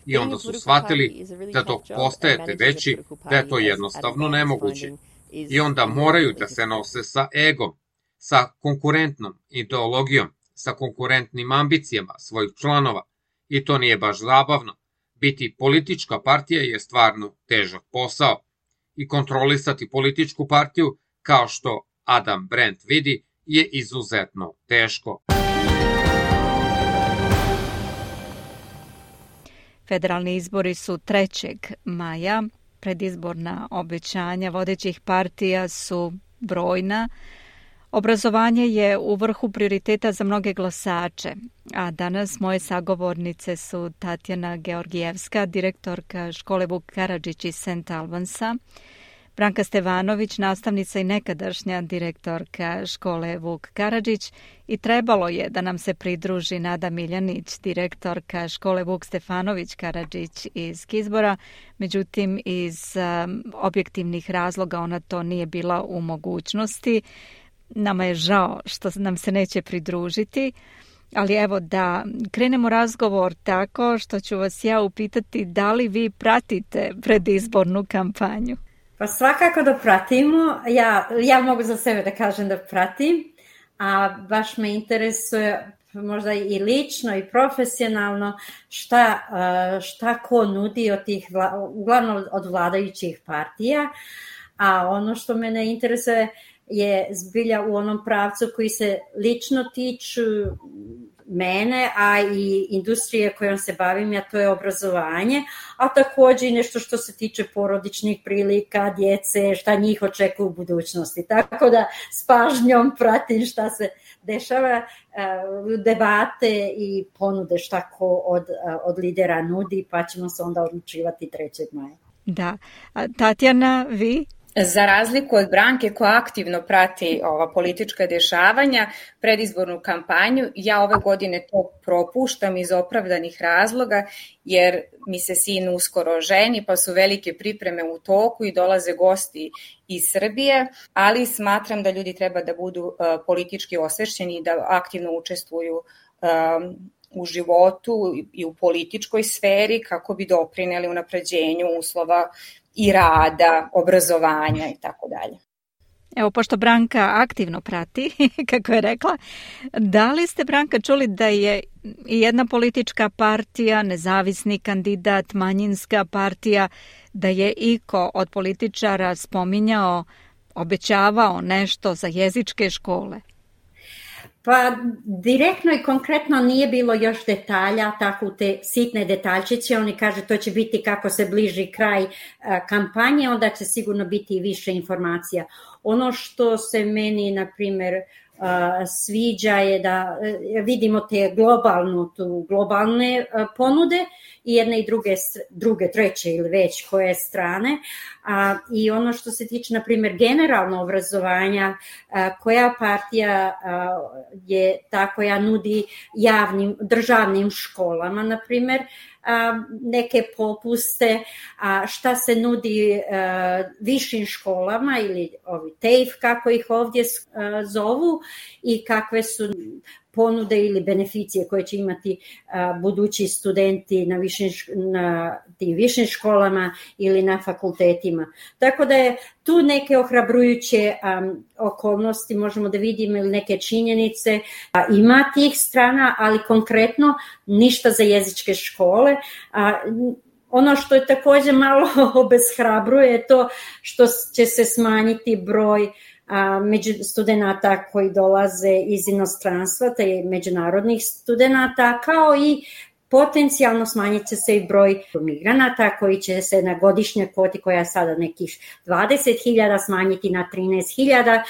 I onda su shvatili da dok postajete veći, da je to jednostavno nemoguće. I onda moraju da se nose sa egom, sa konkurentnom ideologijom, sa konkurentnim ambicijama svojih članova. I to nije baš zabavno. Biti politička partija je stvarno težak posao. I kontrolisati političku partiju, kao što Adam Brent vidi, je izuzetno teško. Federalni izbori su trećeg maja. Predizborna obećanja vodećih partija su brojna. Obrazovanje je u vrhu prioriteta za mnoge glasače, a danas moje sagovornice su Tatjana Georgijevska, direktorka škole Vuk Karadžić iz Saint Albansa, Branka Stevanović, nastavnica i nekadašnja direktorka škole Vuk Karadžić, i trebalo je da nam se pridruži Nada Miljanić, direktorka škole Vuk Stefanović Karadžić iz Kizbora, međutim iz um, objektivnih razloga ona to nije bila u mogućnosti. Nama je žao što nam se neće pridružiti, ali evo da krenemo razgovor tako što ću vas ja upitati da li vi pratite predizbornu kampanju? Pa svakako da pratimo. Ja, ja mogu za sebe da kažem da pratim, a baš me interesuje možda i lično i profesionalno šta, šta ko nudi od tih, uglavnom od vladajućih partija, a ono što mene interesuje je zbilja u onom pravcu koji se lično tiču mene, a i industrije kojom se bavim, a to je obrazovanje, a takođe i nešto što se tiče porodičnih prilika, djece, šta njih očekuje u budućnosti. Tako da s pažnjom pratim šta se dešava, debate i ponude šta ko od, od lidera nudi, pa ćemo se onda odlučivati trećeg maja. Da. A Tatjana, vi? Za razliku od Branke koja aktivno prati ova politička dešavanja, predizbornu kampanju, ja ove godine to propuštam iz opravdanih razloga, jer mi se sin uskoro ženi, pa su velike pripreme u toku i dolaze gosti iz Srbije, ali smatram da ljudi treba da budu uh, politički osvešćeni i da aktivno učestvuju um, u životu i u političkoj sferi kako bi doprineli unapređenju uslova i rada, obrazovanja i tako dalje. Evo, pošto Branka aktivno prati, kako je rekla, da li ste, Branka, čuli da je i jedna politička partija, nezavisni kandidat, manjinska partija, da je iko od političara spominjao, obećavao nešto za jezičke škole? Pa direktno i konkretno nije bilo još detalja, tako te sitne detaljčiće. Oni kaže to će biti kako se bliži kraj kampanje, onda će sigurno biti i više informacija. Ono što se meni, na primjer, sviđa je da vidimo te globalnu, tu globalne ponude i jedne i druge, druge, treće ili već koje strane. A, i ono što se tiče, na primjer, generalno obrazovanja, a, koja partija a, je ta koja nudi javnim, državnim školama, na primjer, a, neke popuste, a šta se nudi a, višim školama ili ovi T E F, kako ih ovdje a, zovu, i kakve su ponude ili beneficije koje će imati a, budući studenti na, višim, na tim višim školama ili na fakultetima. Tako da je tu neke ohrabrujuće a, okolnosti, možemo da vidimo, ili neke činjenice. A, ima tih strana, ali konkretno ništa za jezičke škole. A, ono što je također malo obeshrabruje je to što će se smanjiti broj a, među studenata koji dolaze iz inostranstva, te međunarodnih studenata, kao i potencijalno smanjit će se i broj migranata koji će se na godišnjoj kvoti, koja je sada nekih dvadeset hiljada, smanjiti na trinaest hiljada,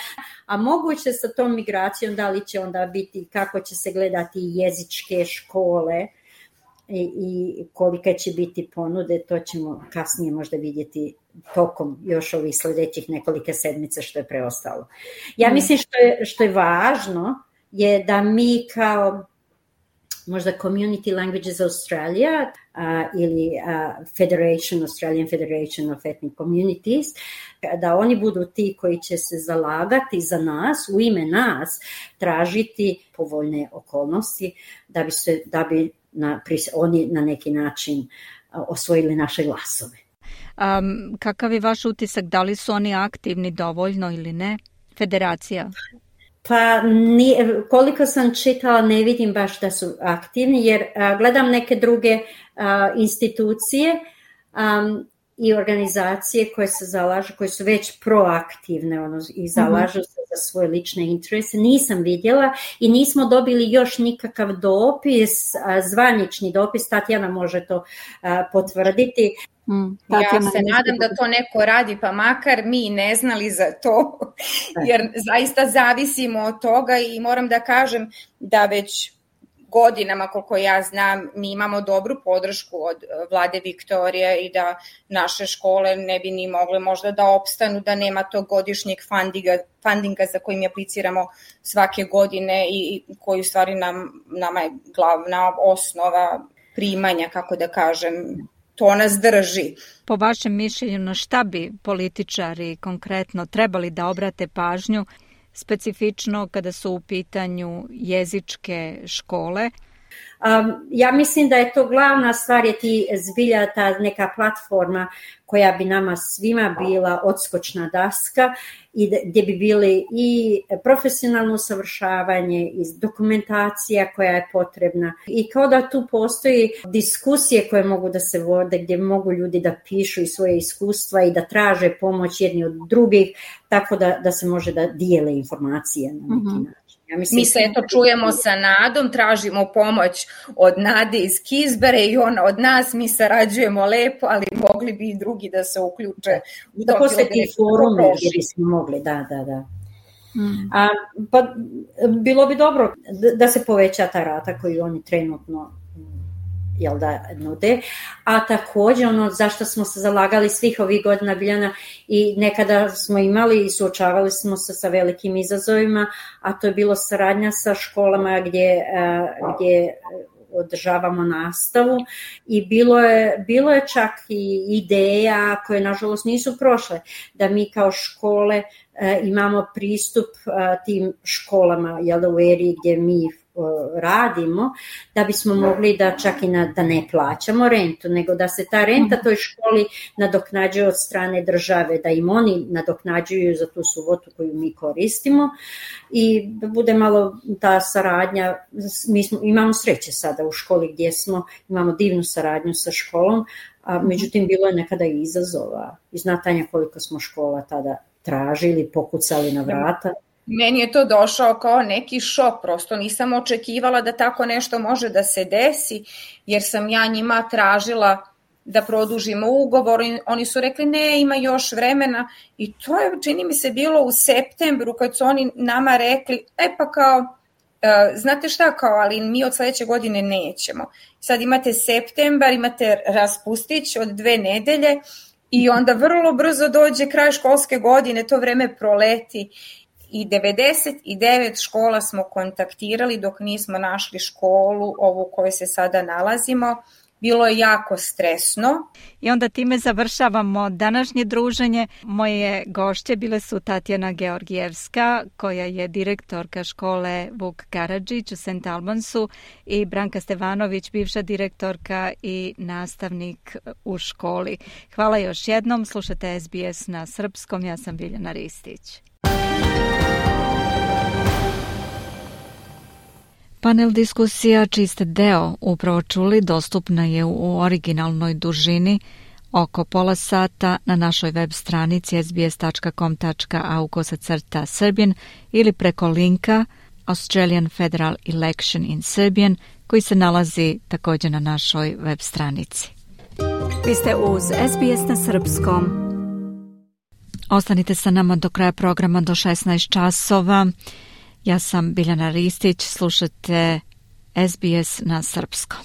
a moguće sa tom migracijom da li će onda biti, kako će se gledati jezičke škole i, i kolika će biti ponude, to ćemo kasnije možda vidjeti tokom još ovih sljedećih nekolike sedmice što je preostalo. Ja mislim što je, što je važno je da mi kao možda Community Languages Australia uh, ili uh, Federation, Australian Federation of Ethnic Communities, da oni budu ti koji će se zalagati za nas, u ime nas, tražiti povoljne okolnosti da bi, se, da bi na, oni na neki način uh, osvojili naše glasove. Um, kakav je vaš utisak, da li su oni aktivni dovoljno ili ne? Federacija? Pa nije, koliko sam čitala ne vidim baš da su aktivni, jer a, gledam neke druge a, institucije um, i organizacije koje se zalažu, koje su već proaktivne ono, i zalažu se za svoje lične interese. Nisam vidjela i nismo dobili još nikakav dopis, a, zvanični dopis, Tatjana može to a, potvrditi. Mm, ja se nadam da to neko radi, pa makar mi ne znali za to, jer zaista zavisimo od toga i moram da kažem da već godinama, koliko ja znam, mi imamo dobru podršku od vlade Viktorije i da naše škole ne bi ni mogle možda da opstanu, da nema tog godišnjeg fundinga, fundinga za kojim apliciramo svake godine i koji u stvari nam, nama je glavna osnova primanja, kako da kažem, to nas drži. Po vašem mišljenju, na šta bi političari konkretno trebali da obrate pažnju, specifično kada su u pitanju jezičke škole? Um, ja mislim da je to glavna stvar, je ti zbilja ta neka platforma koja bi nama svima bila odskočna daska i gdje bi bili i profesionalno usavršavanje i dokumentacija koja je potrebna. I kao da tu postoji diskusije koje mogu da se vode, gdje mogu ljudi da pišu i svoje iskustva i da traže pomoć jedni od drugih, tako da, da se može da dijele informacije na neki način. Mm-hmm. Ja mislim, mi se eto čujemo sa Nadom, tražimo pomoć od Nade iz Kizbere i ona od nas, mi sarađujemo lepo, ali mogli bi i drugi da se uključe. Da, da postoje ti forume gdje bismo mogli, da, da, da. Mm. A, pa bilo bi dobro da, da se poveća ta rata koju oni trenutno jel da, nude, a također ono zašto smo se zalagali svih ovih godina Biljana i nekada smo imali i suočavali smo se sa velikim izazovima, a to je bilo saradnja sa školama gdje, gdje održavamo nastavu i bilo je, bilo je čak i ideja koje nažalost nisu prošle, da mi kao škole imamo pristup tim školama jel da, u eri gdje mi radimo, da bismo mogli da čak i na, da ne plaćamo rentu, nego da se ta renta toj školi nadoknađuje od strane države, da im oni nadoknađuju za tu subotu koju mi koristimo i da bude malo ta saradnja. Mi smo, imamo sreće sada u školi gdje smo, imamo divnu saradnju sa školom, a međutim bilo je nekada i izazova. I znatanja koliko smo škola tada tražili, pokucali na vrata. Meni je to došao kao neki šok, prosto nisam očekivala da tako nešto može da se desi, jer sam ja njima tražila da produžimo ugovor, oni su rekli ne, ima još vremena i to je, čini mi se, bilo u septembru kad su oni nama rekli, e pa kao, znate šta, kao, ali mi od sledeće godine nećemo. Sad imate septembar, imate raspustić od dve nedelje i onda vrlo brzo dođe kraj školske godine, to vreme proleti. I devedeset devet škola smo kontaktirali dok nismo našli školu, ovu u kojoj se sada nalazimo. Bilo je jako stresno. I onda time završavamo današnje druženje. Moje gošće bile su Tatjana Georgijevska, koja je direktorka škole Vuk Karadžić u Saint Albansu, i Branka Stevanović, bivša direktorka i nastavnik u školi. Hvala još jednom. Slušate S B S na srpskom. Ja sam Biljana Ristić. Panel diskusija čiji ste deo upravo čuli dostupna je u originalnoj dužini oko pola sata na našoj web stranici s b s tačka com tačka a u kosacrta Serbian ili preko linka Australian Federal Election in Serbian koji se nalazi također na našoj web stranici. Vi ste uz S B S na srpskom. Ostanite sa nama do kraja programa do šesnaest časova. Ja sam Biljana Ristić, slušate S B S na srpskom.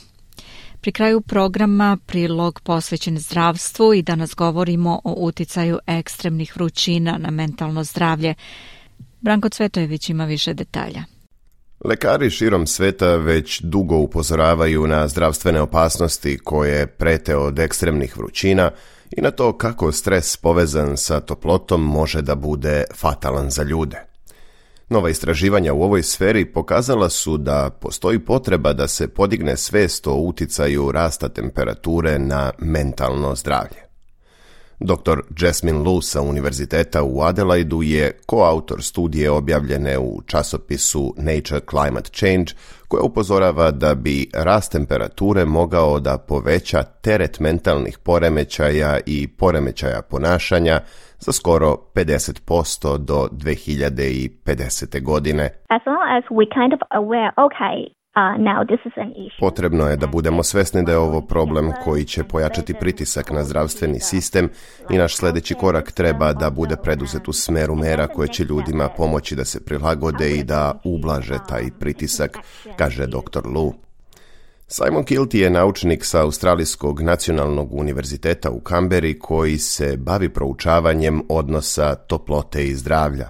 Pri kraju programa prilog posvećen zdravstvu i danas govorimo o uticaju ekstremnih vrućina na mentalno zdravlje. Branko Cvetojević ima više detalja. Lekari širom sveta već dugo upozoravaju na zdravstvene opasnosti koje prete od ekstremnih vrućina i na to kako stres povezan sa toplotom može da bude fatalan za ljude. Nova istraživanja u ovoj sferi pokazala su da postoji potreba da se podigne svest o uticaju rasta temperature na mentalno zdravlje. doktor Jasmine Lu sa Univerziteta u Adelaidu je koautor studije objavljene u časopisu Nature Climate Change, koja upozorava da bi rast temperature mogao da poveća teret mentalnih poremećaja i poremećaja ponašanja za skoro pedeset posto do dve hiljade pedesete. godine. As long as we kind of aware, okay, Uh, now this is an issue. Potrebno je da budemo svesni da je ovo problem koji će pojačati pritisak na zdravstveni sistem i naš sljedeći korak treba da bude preduzet u smeru mera koje će ljudima pomoći da se prilagode i da ublaže taj pritisak, kaže doktor Lu. Simon Kilty je naučnik sa Australijskog nacionalnog univerziteta u Kamberi koji se bavi proučavanjem odnosa toplote i zdravlja.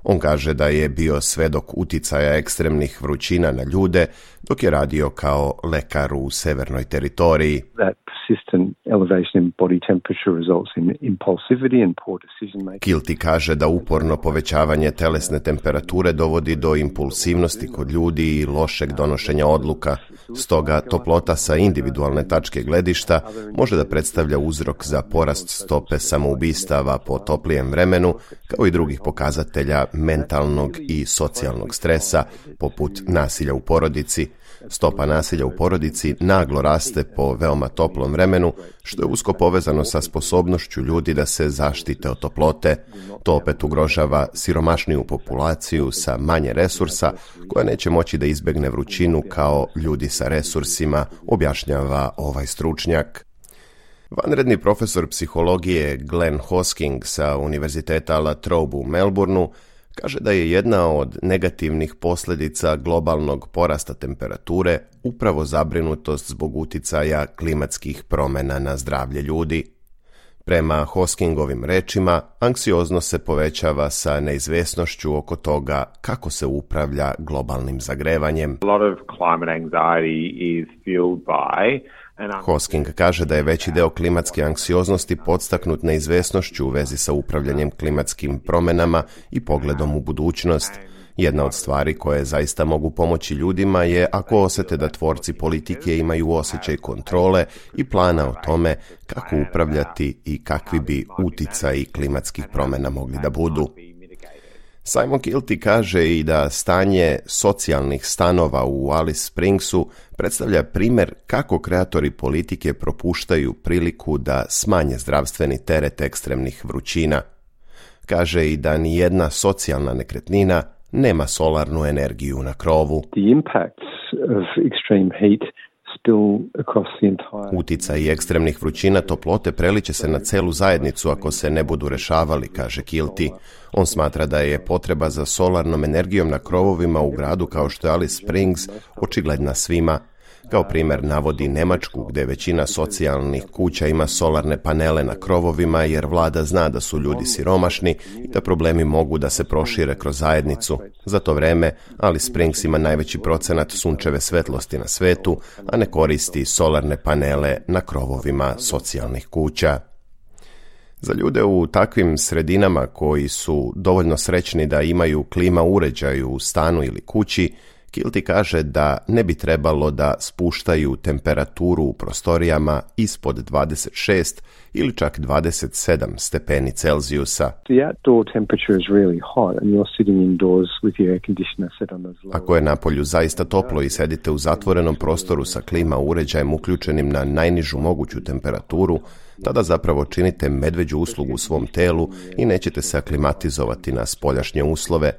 On kaže da je bio svedok uticaja ekstremnih vrućina na ljude dok je radio kao lekar u severnoj teritoriji. Kilty kaže da uporno povećavanje telesne temperature dovodi do impulsivnosti kod ljudi i lošeg donošenja odluka. Stoga toplota sa individualne tačke gledišta može da predstavlja uzrok za porast stope samoubistava po toplijem vremenu, kao i drugih pokazatelja mentalnog i socijalnog stresa, poput nasilja u porodici. Stopa nasilja u porodici naglo raste po veoma toplom vremenu, što je usko povezano sa sposobnošću ljudi da se zaštite od toplote. To opet ugrožava siromašniju populaciju sa manje resursa, koja neće moći da izbegne vrućinu kao ljudi sa resursima, objašnjava ovaj stručnjak. Vanredni profesor psihologije Glenn Hosking sa Univerziteta La Trobe u Melbourneu kaže da je jedna od negativnih posljedica globalnog porasta temperature upravo zabrinutost zbog uticaja klimatskih promjena na zdravlje ljudi. Prema Hoskingovim rečima, anksioznost se povećava sa neizvesnošću oko toga kako se upravlja globalnim zagrevanjem. Hosking kaže da je veći deo klimatske anksioznosti podstaknut neizvesnošću u vezi sa upravljanjem klimatskim promjenama i pogledom u budućnost. Jedna od stvari koje zaista mogu pomoći ljudima je ako osjete da tvorci politike imaju osjećaj kontrole i plana o tome kako upravljati i kakvi bi uticaji klimatskih promjena mogli da budu. Simon Kilty kaže i da stanje socijalnih stanova u Alice Springsu predstavlja primjer kako kreatori politike propuštaju priliku da smanje zdravstveni teret ekstremnih vrućina. Kaže i da ni jedna socijalna nekretnina nema solarnu energiju na krovu. Uticaj ekstremnih vrućina toplote preliče se na celu zajednicu ako se ne budu rešavali, kaže Kilty. On smatra da je potreba za solarnom energijom na krovovima u gradu kao što je Alice Springs očigledna svima. Kao primjer navodi Nemačku, gdje većina socijalnih kuća ima solarne panele na krovovima jer vlada zna da su ljudi siromašni i da problemi mogu da se prošire kroz zajednicu. Za to vreme Alice Springs ima najveći procenat sunčeve svetlosti na svetu, a ne koristi solarne panele na krovovima socijalnih kuća. Za ljude u takvim sredinama koji su dovoljno srećni da imaju klima uređaj u stanu ili kući, Kilty kaže da ne bi trebalo da spuštaju temperaturu u prostorijama ispod dvadeset šest ili čak dvadeset sedam stepeni Celzijusa. Ako je napolju zaista toplo i sedite u zatvorenom prostoru sa klima uređajem uključenim na najnižu moguću temperaturu, tada zapravo činite medveđu uslugu svom telu i nećete se aklimatizovati na spoljašnje uslove.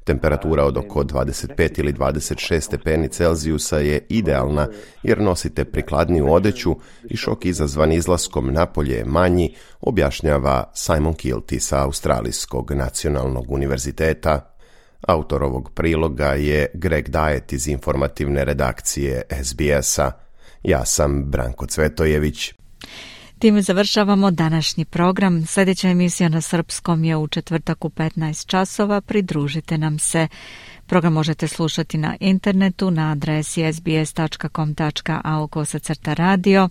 Temperatura od oko dvadeset pet ili dvadeset šest stepeni Celzijusa je idealna jer nosite prikladniju odeću i šok izazvan izlaskom napolje je manji, objašnjava Simon Kilty sa Australijskog nacionalnog univerziteta. Autor ovog priloga je Greg Diet iz informativne redakcije S B S-a. Ja sam Branko Cvetojević. Time završavamo današnji program. Sljedeća emisija na srpskom je u četvrtak u petnaest časova. Pridružite nam se. Program možete slušati na internetu na adresi s b s dot com dot a u kosacrta radio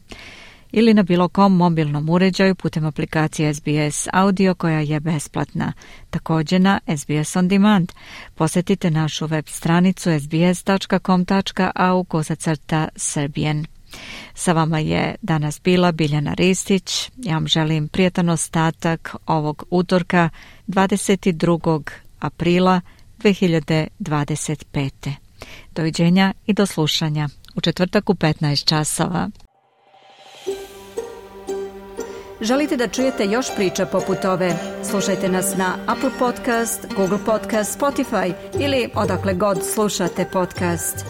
ili na bilo kom mobilnom uređaju putem aplikacije S B S Audio koja je besplatna. Također na S B S On Demand. Posjetite našu web stranicu s b s dot com dot a u kosacrta Serbian. Sa vama je danas bila Biljana Ristić. Ja vam želim prijatan ostatak ovog utorka dvadeset drugog aprila dve hiljade dvadeset pete. Doviđenja i do slušanja u četvrtak u petnaest časova. Želite da čujete još priča poput ove? Slušajte nas na Apple Podcast, Google Podcast, Spotify ili odakle god slušate podcast.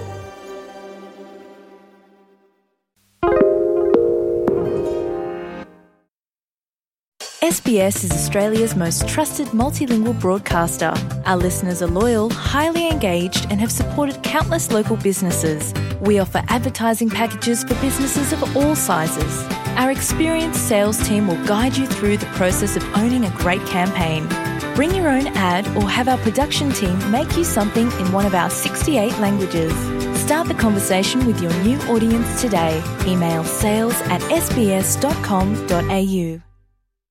S B S is Australia's most trusted multilingual broadcaster. Our listeners are loyal, highly engaged, and have supported countless local businesses. We offer advertising packages for businesses of all sizes. Our experienced sales team will guide you through the process of owning a great campaign. Bring your own ad or have our production team make you something in one of our sixty-eight languages. Start the conversation with your new audience today. Email sales at s b s dot com dot a u.